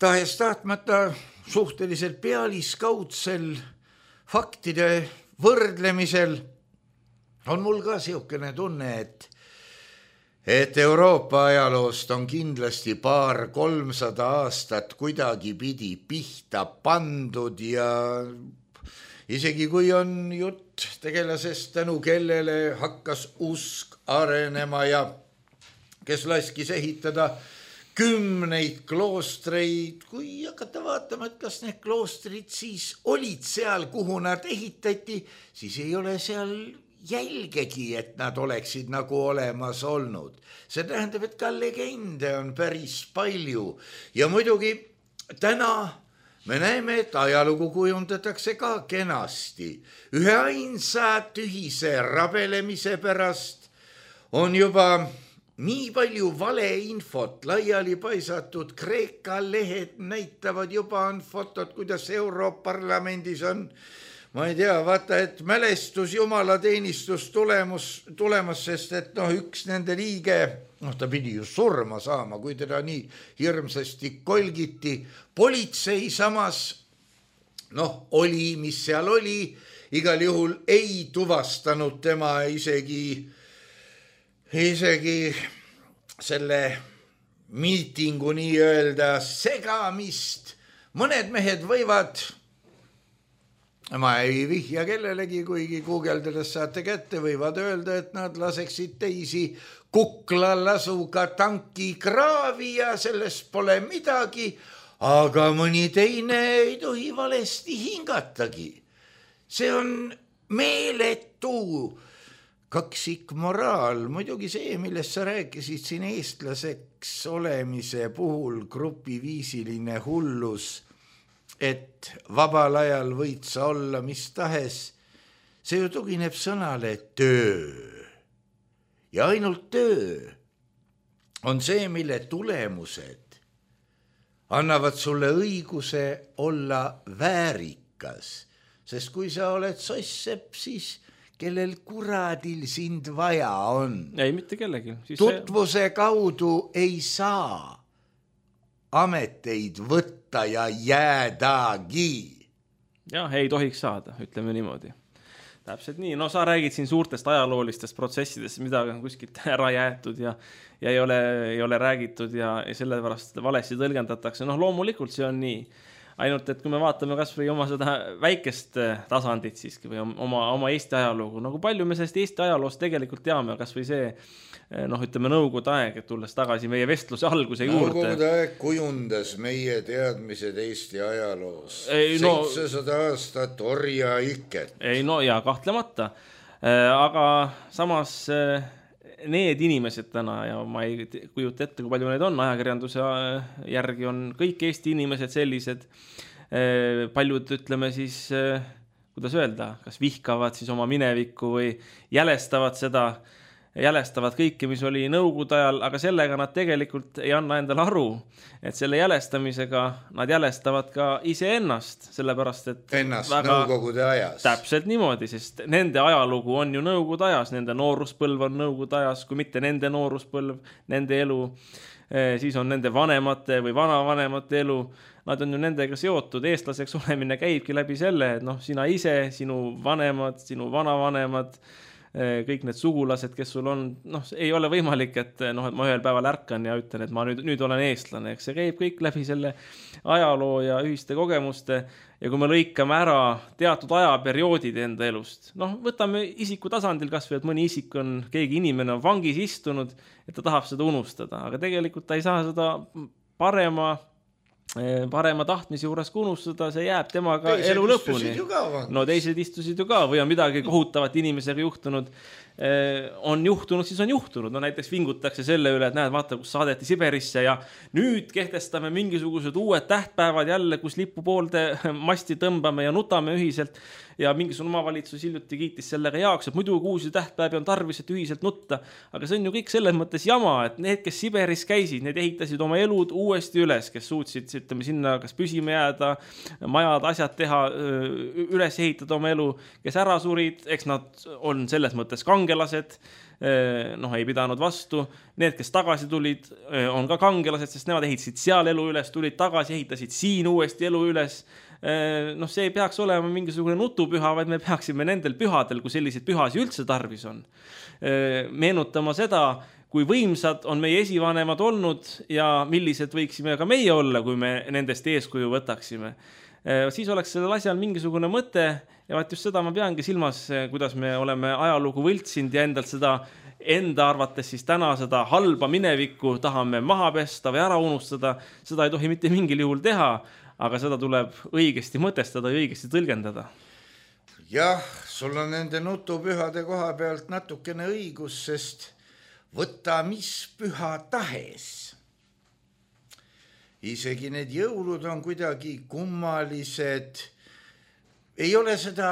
tahes tahtmata suhteliselt pealiskaudsel faktide võrdlemisel on mul ka siukene tunne, et Euroopa ajaloost on kindlasti 200-300 aastat kuidagi pidi pihta pandud ja isegi kui on jutt tegelasest, tänu kellele hakkas usk arenema ja kes laskis ehitada 10 kloostreid, kui hakata vaatama, et kas need kloostrid siis olid seal, kuhu nad ehitati, siis ei ole seal jälgegi, et nad oleksid nagu olemas olnud. See tähendab, et ka legende on päris palju ja muidugi täna me näeme, et ajalugu kujundatakse ka kenasti. Ühe ainsa tühise rabelemise pärast on juba nii palju valeinfot laiali paisatud. Kreeka lehed näitavad juba on fotod, kuidas Europarlamendis on, ma ei tea, vaata, et mälestus jumalateenistus tulemas, sest et üks nende liige, ta pidi ju surma saama, kui teda nii hirmsasti kolgiti. Politsei samas, oli, mis seal oli, igal juhul ei tuvastanud tema isegi selle miitingu nii-öelda segamist. Mõned mehed võivad, ma ei vihja kellelegi, kuigi guugeldades saate kätte, võivad öelda, et nad laseksid teisi kuklalasuga tanki kraavi ja sellest pole midagi, aga mõni teine ei tohi valesti hingatagi. See on meeletu kaksikmoraal, muidugi see, millest sa rääkisid siin eestlaseks olemise puhul, grupiviisiline hullus, et vabal ajal võid sa olla mis tahes, see ju tugineb sõnale töö. Ja ainult töö on see, mille tulemused annavad sulle õiguse olla väärikas, sest kui sa oled sosssepp, siis kellel kuradil sind vaja on. Ei, mitte kellegi. Tutvuse kaudu ei saa ameteid võtta ja jäädagi. Jah, ei tohiks saada, ütleme niimoodi. Täpselt nii, no sa räägid siin suurtest ajaloolistest protsessidest, mida on kuskilt ära jäetud ja ei ole räägitud ja sellepärast valesti tõlgendatakse. Noh, loomulikult see on nii. Ainult, et kui me vaatame kas või oma seda väikest tasandit siiski või oma Eesti ajalugu, nagu palju me sellest Eesti ajaloost tegelikult teame, kas või see, ütleme Nõukogude aeg, et tulles tagasi meie vestluse alguse juurde. Nõukogude aeg kujundas meie teadmised Eesti ajaloos. 700 aastat orja iket. Ei, no ja kahtlemata. Aga samas need inimesed täna, ja ma ei kujuta ette, kui palju neid on, ajakirjanduse järgi on kõik Eesti inimesed sellised, paljud ütleme siis, kuidas öelda, kas vihkavad siis oma minevikku või jälestavad kõike, mis oli Nõukogude ajal, aga sellega nad tegelikult ei anna endale aru, et selle jälestamisega nad jälestavad ka iseennast, sellepärast et ennast Nõukogude ajas. Täpselt niimoodi, sest nende ajalugu on ju Nõukogude ajas, nende nooruspõlv on Nõukogude ajas, kui mitte nende nooruspõlv, nende elu, siis on nende vanemate või vanavanemate elu, nad on ju nendega seotud, eestlaseks olemine käibki läbi selle, et sina ise, sinu vanemad, sinu vanavanemad, kõik need sugulased, kes sul on, ei ole võimalik, et ma ühel päeval ärkan ja ütlen, et ma nüüd olen eestlane, eks see käib kõik läbi selle ajaloo ja ühiste kogemuste ja kui me lõikame ära teatud ajaperioodid enda elust, võtame isiku tasandil kas või, et mõni isik on, keegi inimene on vangis istunud, et ta tahab seda unustada, aga tegelikult ta ei saa seda parema tahtmise juures unustada, see jääb temaga elu lõpuni. No teised istusid ju ka või on midagi kohutavat inimesega juhtunud, siis on juhtunud. No näiteks vingutakse selle üle, et näed, vaata, kus saadeti Siberisse ja nüüd kehtestame mingisugused uued tähtpäevad jälle, kus lipupoolde masti tõmbame ja nutame ühiselt ja mingisugune omavalitsus hiljuti kiitis sellega jaoks, et muidu uusi tähtpäevi on tarvis, et ühiselt nutta. Aga see on ju kõik selles mõttes jama, et need, kes Siberis käisid, need ehitasid oma elud uuesti üles, kes suutsid sinna kas püsima jääda, majad, asjad teha, üles ehitada oma elu, kes ära surid, eks nad on selles mõttes kangelased, ei pidanud vastu. Need, kes tagasi tulid, on ka kangelased, sest nemad ehitasid seal elu üles, tulid tagasi, ehitasid siin uuesti elu üles. See ei peaks olema mingisugune nutupüha, vaid me peaksime nendel pühadel, kui selliseid pühasi üldse tarvis on, meenutama seda, kui võimsad on meie esivanemad olnud ja millised võiksime ka meie olla, kui me nendest eeskuju võtaksime. Siis oleks sellel asjal mingisugune mõte ja vaat just seda ma peangi silmas, kuidas me oleme ajalugu võltsinud ja endalt seda enda arvates siis täna seda halba minevikku tahame maha pesta või ära unustada. Seda ei tohi mitte mingil juhul teha, aga seda tuleb õigesti mõtestada ja õigesti tõlgendada. Jah, sul on nende nutupühade koha pealt natukene õigus, sest võta mis püha tahes. Isegi need jõulud on kuidagi kummalised. Ei ole seda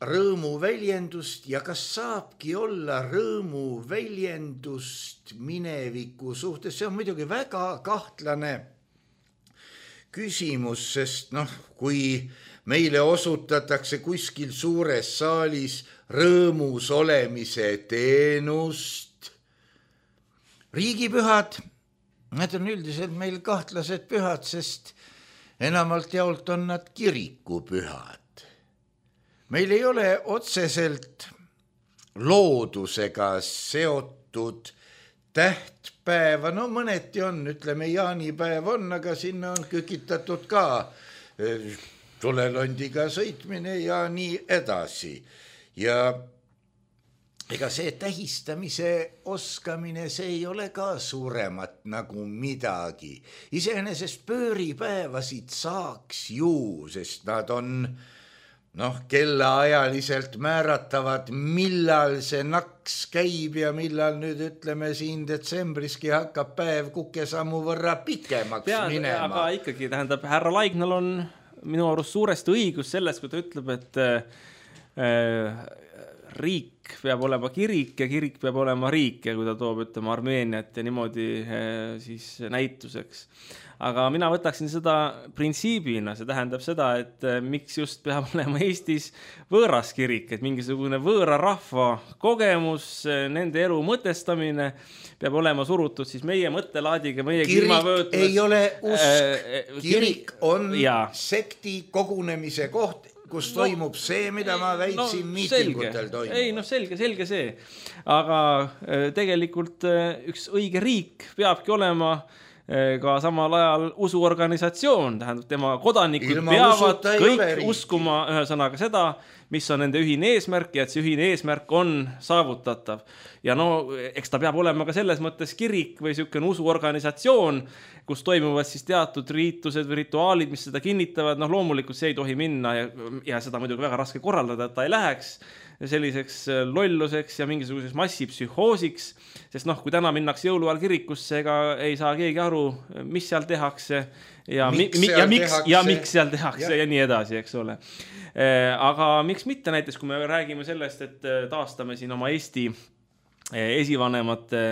rõõmu väljendust ja kas saabki olla rõõmu väljendust mineviku suhtes. See on muidugi väga kahtlane küsimus, sest kui meile osutatakse kuskil suures saalis rõõmus olemise teenust, riigipühad, need on üldiselt meil kahtlased pühad, sest enamalt jaolt on nad kirikupühad. meil ei ole otseselt loodusega seotud tähtpäeva, no mõneti on, ütleme jaanipäev on, aga sinna on kükitatud ka tulelondiga sõitmine ja nii edasi. Ja ega see tähistamise oskamine, see ei ole ka suuremat nagu midagi. Iseenesest pööripäevasid saaks ju, sest nad on kellaajaliselt määratavad, millal see naks käib ja millal nüüd ütleme siin detsembriski hakkab päev kukesammu võrra pikemaks minema. Aga ikkagi tähendab, härra Laignal on minu arust suuresti õigus sellest, kui ta ütleb, et riik peab olema kirik ja kirik peab olema riik ja kui ta toob, ütleme, Armeeniat ja niimoodi siis näituseks. Aga mina võtaksin seda printsiibina, see tähendab seda, et miks just peab olema Eestis võõras kirik, et mingisugune võõra rahva kogemus, nende elu mõtestamine peab olema surutud siis meie mõttelaadiga, meie kirik ei ole usk, kirik on sekti kogunemise koht, kus toimub see, mida ma väitsin miitingutel toimub. Ei, selge see. Aga tegelikult üks õige riik peabki olema ka samal ajal usuorganisatsioon, tähendab tema kodanikud peavad kõik uskuma ühesõnaga seda, mis on nende ühine eesmärk ja et see ühine eesmärk on saavutatav. Ja eks ta peab olema ka selles mõttes kirik või selline usuorganisatsioon, kus toimuvad siis teatud riitused või rituaalid, mis seda kinnitavad. Loomulikult see ei tohi minna ja seda muidugi väga raske korraldada, et ta ei läheks selliseks lolluseks ja mingisuguseks massipsühhoosiks, sest kui täna minnakse jõuluajal kirikusse, ega ei saa keegi aru, mis seal tehakse ja miks seal tehakse ja nii edasi, eks ole. Aga miks mitte näiteks, kui me räägime sellest, et taastame siin oma Eesti esivanemate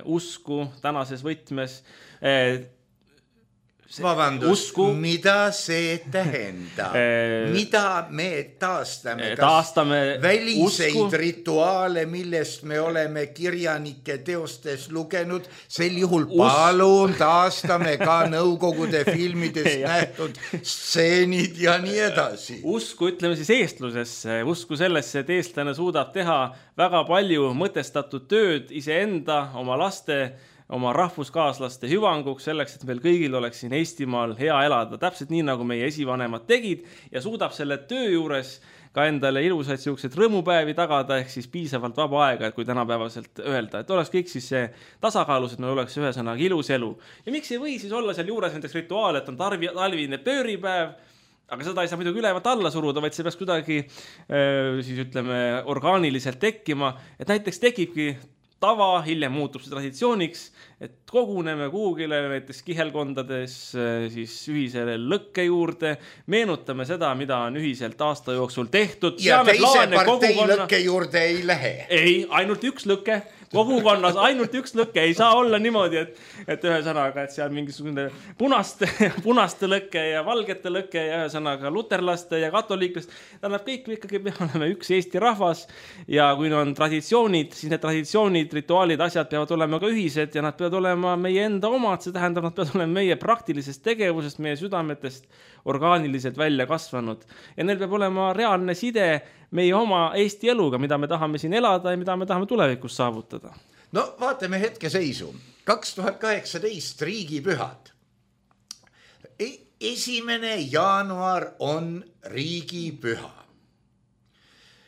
usku tänases võtmes, vabandust, mida see tähendab? Mida me taastame? Taastame väliseid rituaale, millest me oleme kirjanike teostes lugenud, sel juhul palun taastame ka nõukogude filmidest nähtud stseenid ja nii edasi. Usku, ütleme siis eestlusesse, usku sellesse, et eestlane suudab teha väga palju mõtestatud tööd iseenda, oma laste, oma rahvuskaaslaste hüvanguks selleks, et meil kõigil oleks siin Eestimaal hea elada, täpselt nii, nagu meie esivanemad tegid ja suudab selle töö juures ka endale ilusaid siuksed rõõmupäevi tagada, ehk siis piisavalt vaba aega, et kui tänapäevaselt öelda, et oleks kõik siis see tasakaalus, et meil oleks ühesõnaga ilus elu. Ja miks ei või siis olla seal juures näiteks rituaal, et on talvine pööripäev, aga seda ei saa muidugi ülevalt alla suruda, vaid see peaks kuidagi siis ütleme orgaaniliselt tekkima, et näiteks tekibki tava, hiljem muutub see traditsiooniks, et koguneme kuhugile näiteks kihelkondades siis ühisele lõkke juurde, meenutame seda, mida on ühiselt aasta jooksul tehtud. Ja teise partei lõkke juurde ei lähe. Ei, ainult üks lõke. Kogukonnas ainult üks lõke, ei saa olla niimoodi, et ühesõnaga, et seal mingisugune punaste lõke ja valgete lõke ja ühesõnaga luterlaste ja katoliiklast. Tähendab, kõik ikkagi me oleme üks Eesti rahvas ja kui on traditsioonid, siis need traditsioonid, rituaalid, asjad peavad olema ka ühised ja nad peavad olema meie enda omad, see tähendab, nad peavad olema meie praktilisest tegevusest, meie südametest orgaaniliselt välja kasvanud. Ja neil peab olema reaalne side meie oma Eesti eluga, mida me tahame siin elada ja mida me tahame tulevikus saavutada. No vaatame hetke seisu. 2018 riigipühad. 1. jaanuar on riigipüha.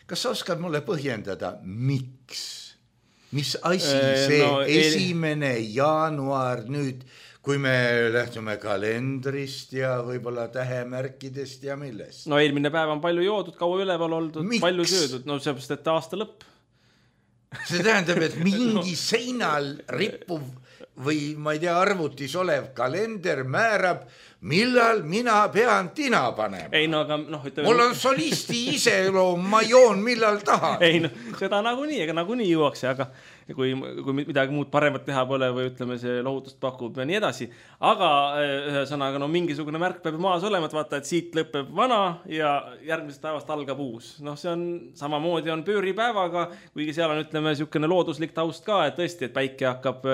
Kas sa oskad mulle põhjendada, miks? Mis asi see 1. jaanuar nüüd, kui me lähtume kalendrist ja võib-olla tähemärkidest ja millest? No eelmine päev on palju joodud, kaua üleval oldud, palju söödud. No seepärast, et aasta lõpp. See tähendab, et mingi seinal rippuv või ma ei tea, arvutis olev kalender määrab, millal mina pean tina panema. Ei, no, aga, ütleme... Mul on solisti iseloom, ma joon millal tahan. Ei, seda nagunii juuakse, aga kui midagi muud paremat teha pole või ütleme, see lohutust pakub ja nii edasi. Aga ühesõnaga, mingisugune märk peab maas olema, et vaata, et siit lõpeb vana ja järgmisest päevast algab uus. See on samamoodi on pööripäevaga, kuigi seal on, ütleme, niisugune looduslik taust ka, et tõesti, et päike hakkab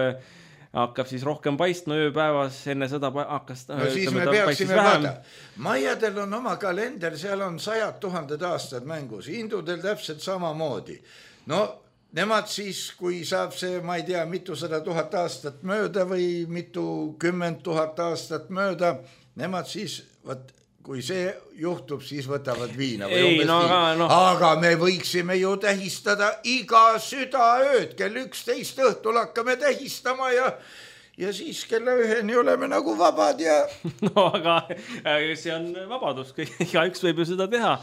hakkab siis rohkem paistma ööpäevas, enne sõda hakkas no siis me peaksime vaada. Maiadel on oma kalender, seal on 100 000 aastad mängus, hindudel täpselt samamoodi. No nemad siis, kui saab see, ma ei tea, mitu 100 000 aastat mööda või mitu 10 000 aastat mööda, nemad siis, kui see juhtub, siis võtavad viina. Aga me võiksime ju tähistada iga südaööd, kell 11 õhtul hakkame tähistama ja siis kella 1 oleme nagu vabad ja... No aga see on vabadus, igaüks võib ju seda teha.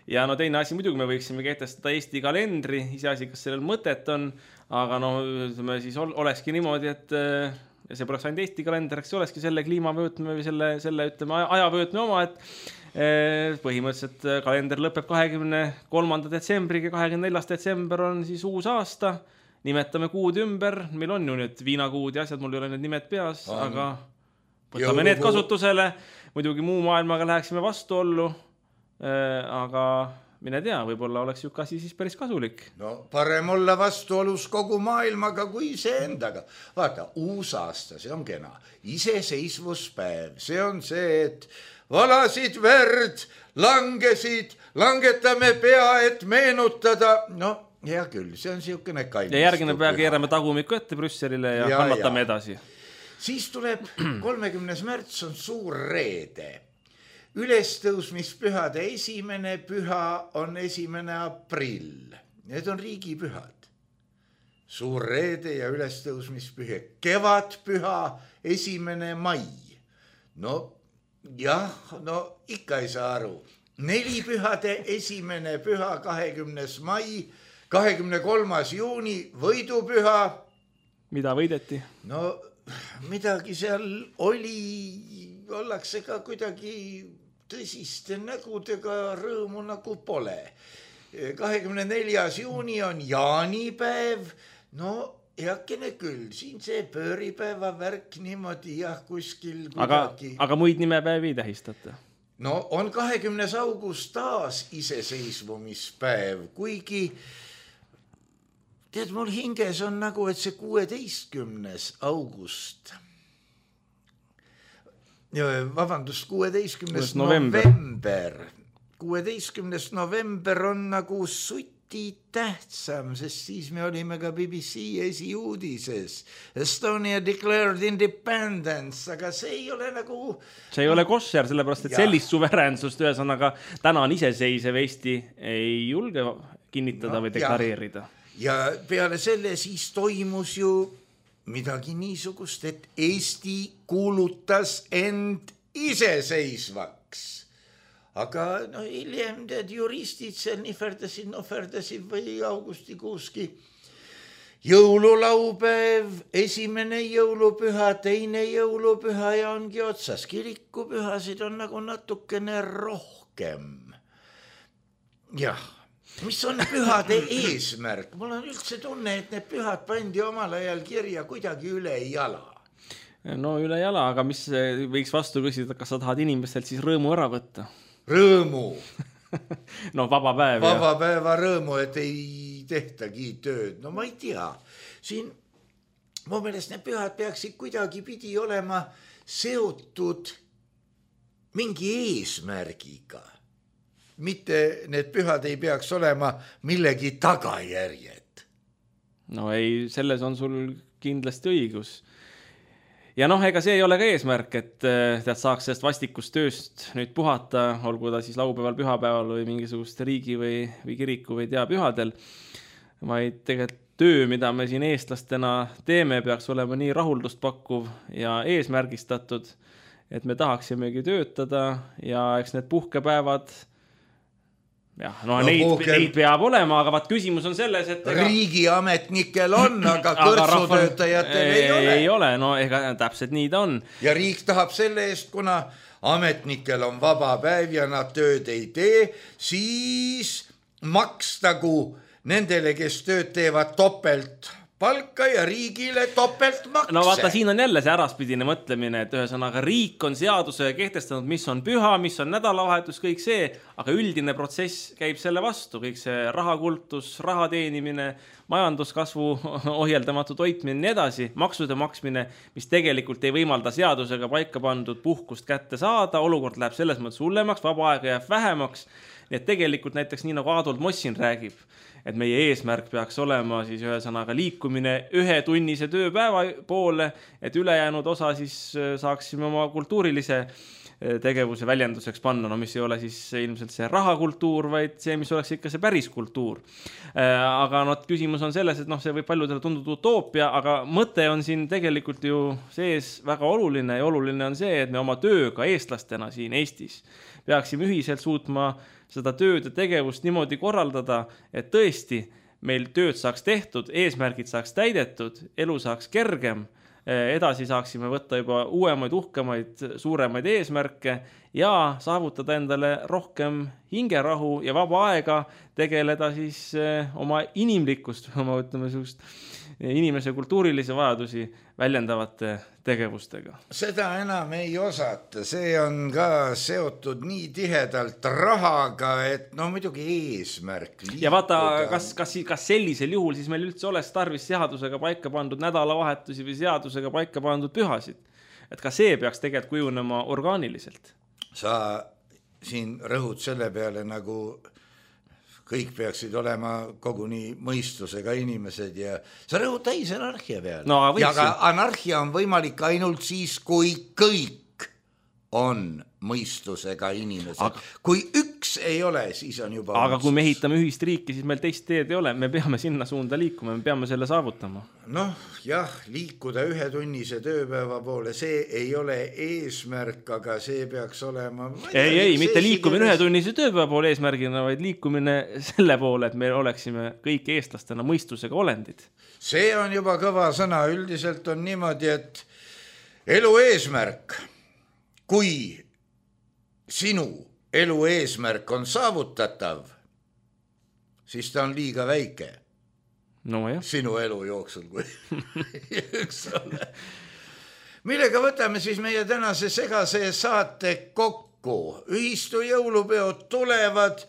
Ja no teine asi, muidugi me võiksime kehtestada Eesti kalendri, iseasi, kas sellel mõtet on, aga no ütleme, siis olekski niimoodi, et see poleks ainult Eesti kalender, eks olekski selle kliimavöötme või selle ütleme, ajavöötme oma, et põhimõtteliselt kalender lõpeb 23. detsembriga, 24. detsember on siis uus aasta, nimetame kuud ümber, meil on ju nüüd viinakuud ja asjad, mul ei ole need nimed peas, aga võtame need kasutusele, muidugi muu maailmaga läheksime vastuollu, aga mine tea, võib-olla oleks ju kasi siis päris kasulik. No parem olla vastuolus kogu maailmaga kui see endaga. Vaata, uus aasta, see on kena. Iseseisvuspäev, see on see, et valasid verd, langesid, langetame pea, et meenutada. No hea küll, see on siukene kallis. Ja järgine pea keerame tagumiku ette Brüsselile ja kannatame edasi. Siis tuleb 30. märts on suur reede. Ülestõusmispühade esimene püha on 1. aprill. Need on riigipühad. Suur reede ja ülestõusmispüha. Kevadpüha 1. mai. No jah, no ikka ei saa aru. 4 pühade esimene püha 20. mai, 23. juuni võidupüha. Mida võideti? No midagi seal oli, ollakse ka kuidagi tõsiste nägudega, rõõmu nagu pole. 24. juuni on jaanipäev, no heakene küll, siin see pööripäeva värk niimoodi jah kuskil kuidagi. Aga muid nimepäevi ei tähistata? No on 20. august taas iseseisvumispäev, kuigi tead, mul hinges on nagu, et see 16. august, vabandust, 16. november. 16. november on nagu suti tähtsam, sest siis me olime ka BBC esiuudises. Estonia declared independence, aga see ei ole nagu... See ei ole kosser, sellepärast, et sellist suveräänsust ühesõnaga täna on iseseisev Eesti ei julge kinnitada või deklareerida. Ja peale selle siis toimus ju midagi niisugust, et Eesti kuulutas end iseseisvaks. Aga no hiljem tead juristid seal nihverdasid või augustikuuski. Jõululaupäev, 1. jõulupüha, 2. jõulupüha ja ongi otsas. Kirikupühasid on nagu natukene rohkem. Jah. Mis on pühade eesmärk? Mul on üldse tunne, et need pühad pandi omal ajal kirja kuidagi üle jala. No üle jala, aga mis võiks vastu küsida, kas sa tahad inimestelt siis rõõmu ära võtta? Rõõmu. No vaba päev. Vaba päeva rõõmu, et ei tehtagi tööd. No ma ei tea. Siin mu meelest need pühad peaksid kuidagi pidi olema seotud mingi eesmärgiga. Mitte need pühad ei peaks olema millegi tagajärjed. No ei, selles on sul kindlasti õigus. Ja noh, ega see ei ole ka eesmärk, et tead saaks sellest vastikust tööst nüüd puhata, olgu ta siis laupäeval, pühapäeval või mingisugust riigi või kiriku või pühadel. Vaid tegelikult töö, mida me siin eestlastena teeme, peaks olema nii rahuldust pakkuv ja eesmärgistatud, et me tahaksimegi töötada ja eks need puhkepäevad jah, no neid peab olema, aga vaat küsimus on selles, et riigiametnikel on, aga kõrtsutöötajatel ei ole. No ega täpselt nii ta on. Ja riik tahab selle eest, kuna ametnikel on vaba päev ja nad tööd ei tee, siis makstagu nendele, kes tööd teevad topelt palka ja riigile topeltmakse. No vaata, siin on jälle see äraspidine mõtlemine, et ühesõnaga riik on seaduse kehtestanud, mis on püha, mis on nädalavahetus, kõik see, aga üldine protsess käib selle vastu, kõik see rahakultus, raha teenimine, majanduskasvu ohjeldamatu toitmine, nii edasi, maksude maksmine, mis tegelikult ei võimalda seadusega paika pandud puhkust kätte saada, olukord läheb selles mõttes hullemaks, vaba aega jääb vähemaks. Nii et tegelikult näiteks nii nagu Adolf Mossin räägib, et meie eesmärk peaks olema siis ühesõnaga liikumine 1 tunnise tööpäeva poole, et ülejäänud osa siis saaksime oma kultuurilise tegevuse väljenduseks panna, no mis ei ole siis ilmselt see rahakultuur, vaid see, mis oleks ikka see päris kultuur. Aga no, küsimus on selles, et see võib paljudele tunduda utoopia, aga mõte on siin tegelikult ju sees väga oluline ja oluline on see, et me oma tööga eestlastena siin Eestis peaksime ühiselt suutma seda tööd ja tegevust niimoodi korraldada, et tõesti meil tööd saaks tehtud, eesmärgid saaks täidetud, elu saaks kergem, edasi saaksime võtta juba uuemaid, uhkemaid, suuremaid eesmärke ja saavutada endale rohkem hingerahu ja vaba aega tegeleda siis oma inimlikkust, oma ütleme inimese kultuurilisi vajadusi väljendavate tegevustega. Seda enam ei osata, see on ka seotud nii tihedalt rahaga, et muidugi eesmärk liikuda. Ja vaata, kas sellisel juhul siis meil üldse oleks tarvis seadusega paika pandud nädalavahetusi või seadusega paika pandud pühasid. Et ka see peaks tegelikult kujunema orgaaniliselt. Sa siin rõhud selle peale nagu kõik peaksid olema koguni mõistusega inimesed ja sa rõhud täis anarhia peale. No, ja ka anarhia on võimalik ainult siis, kui kõik on mõistusega inimesed. Kui üks ei ole, siis on juba aga kui me ehitame ühist riiki, siis meil teist teed ei ole. Me peame sinna suunda liikuma, me peame selle saavutama. Jah, liikuda 1 tunnise tööpäeva poole, see ei ole eesmärk, aga see peaks olema... Ei, mitte liikumine 1 tunnise tööpäeva poole eesmärgina, vaid liikumine selle poole, et me oleksime kõik eestlastena mõistusega olendid. See on juba kõva sõna. Üldiselt on niimoodi, et elu eesmärk, kui sinu elu eesmärk on saavutatav, siis ta on liiga väike. No jah. Sinu elu jooksul, kui üks ole. Millega võtame siis meie tänase segase saate kokku? Ühistu jõulupeod tulevad,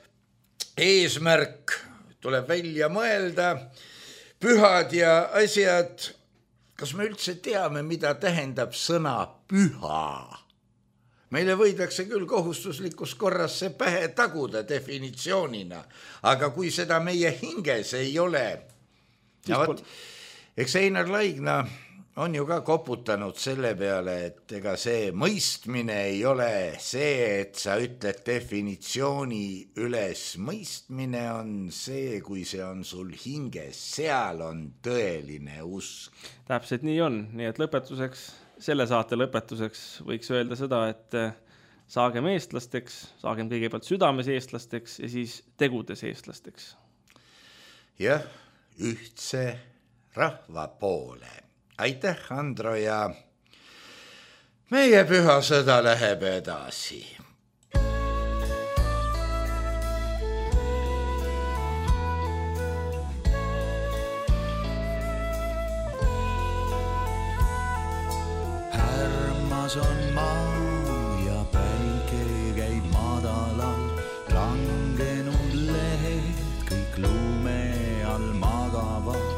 eesmärk tuleb välja mõelda, pühad ja asjad. Kas me üldse teame, mida tähendab sõna püha? Meile võidakse küll kohustuslikus korras see pähe taguda definitsioonina, aga kui seda meie hinges ei ole, eks Einar Laigna on ju ka koputanud selle peale, et ega see mõistmine ei ole see, et sa ütled definitsiooni üles. Mõistmine on see, kui see on sul hinges, seal on tõeline usk. Täpselt nii on, nii et lõpetuseks, selle saate lõpetuseks võiks öelda seda, et saagem eestlasteks, saagem kõigepealt südames eestlasteks ja siis tegudes eestlasteks. Jah, ühtse rahva poole. Aitäh, Andro, ja meie püha sõda läheb edasi. On maa ja päike käib madalal, langenud lehed kõik lume all magavad,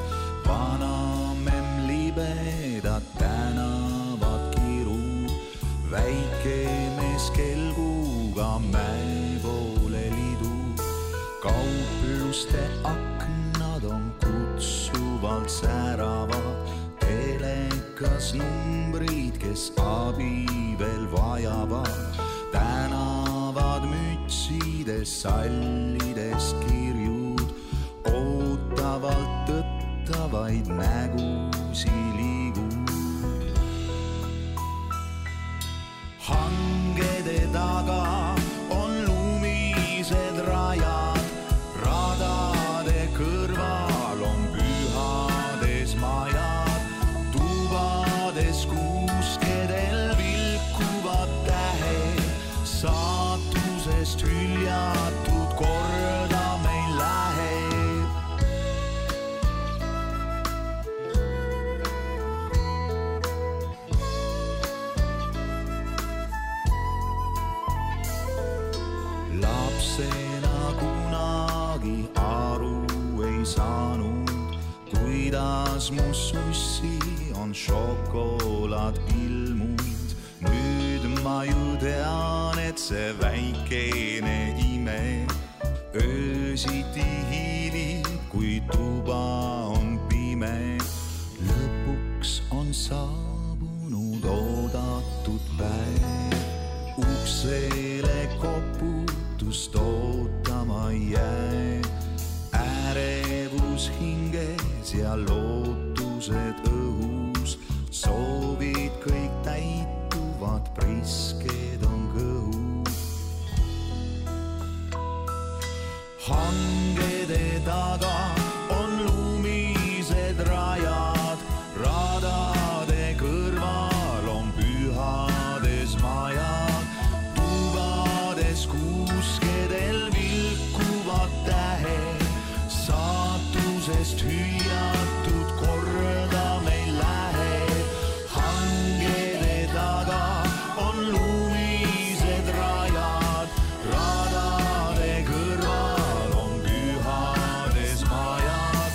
vanamemm libedad tänavad kiru, väike mees kelguga mäe poole lidu, kaupluste aknad on kutsuvalt säravad, telekas numbrid, kes abi veel vajavad, tänavad mütsides, sallides kirjud, ootavalt tõttavaid nägusi liigud. Hangede taga on lumised rajad, radade kõrval on pühades majad, tubades kuuskedel vilkuvad tähed, saatusest hüljatud korda meil läheb. lapsena kunagi aru ei saanud, kuidas mu sussi on šokolaad ilmunud. Nüüd ma ju tean, et see väikene ime öösiti hiilib, kui tuba on pime. Lõpuks on saabunud oodatud päev, uksele koputust ootama jää. Ärevus hinges ja lootused õhus, soovid kõik täituvad, prisked on kõhus. Hangede taga on lumised rajad, radade kõrval on pühades majad, tubades kuuskedel vilkuvad tähed, saatusest hüljatud korda meil läheb. Hangede taga on lumised rajad, radade kõrval on pühades majad,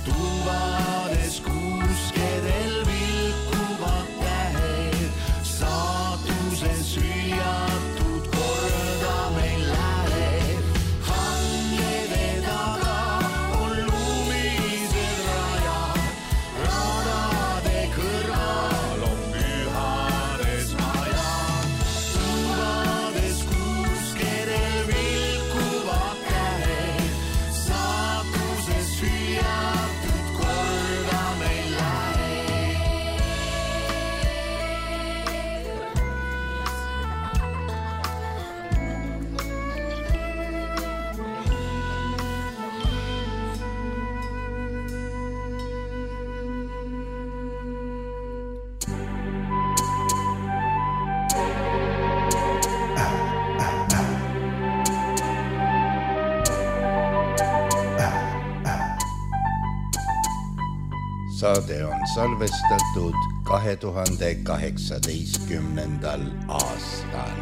tubades kuuskedel vilkuvad tähed, saatuses hüljatud korda meil läheb. Hangede taga on lumised rajad, radade kõrval on pühades majad, tubades kuuskedel vilkuvad tähed, saatuses hüljatud korda meil läheb. Saade on salvestatud 2018. aastal.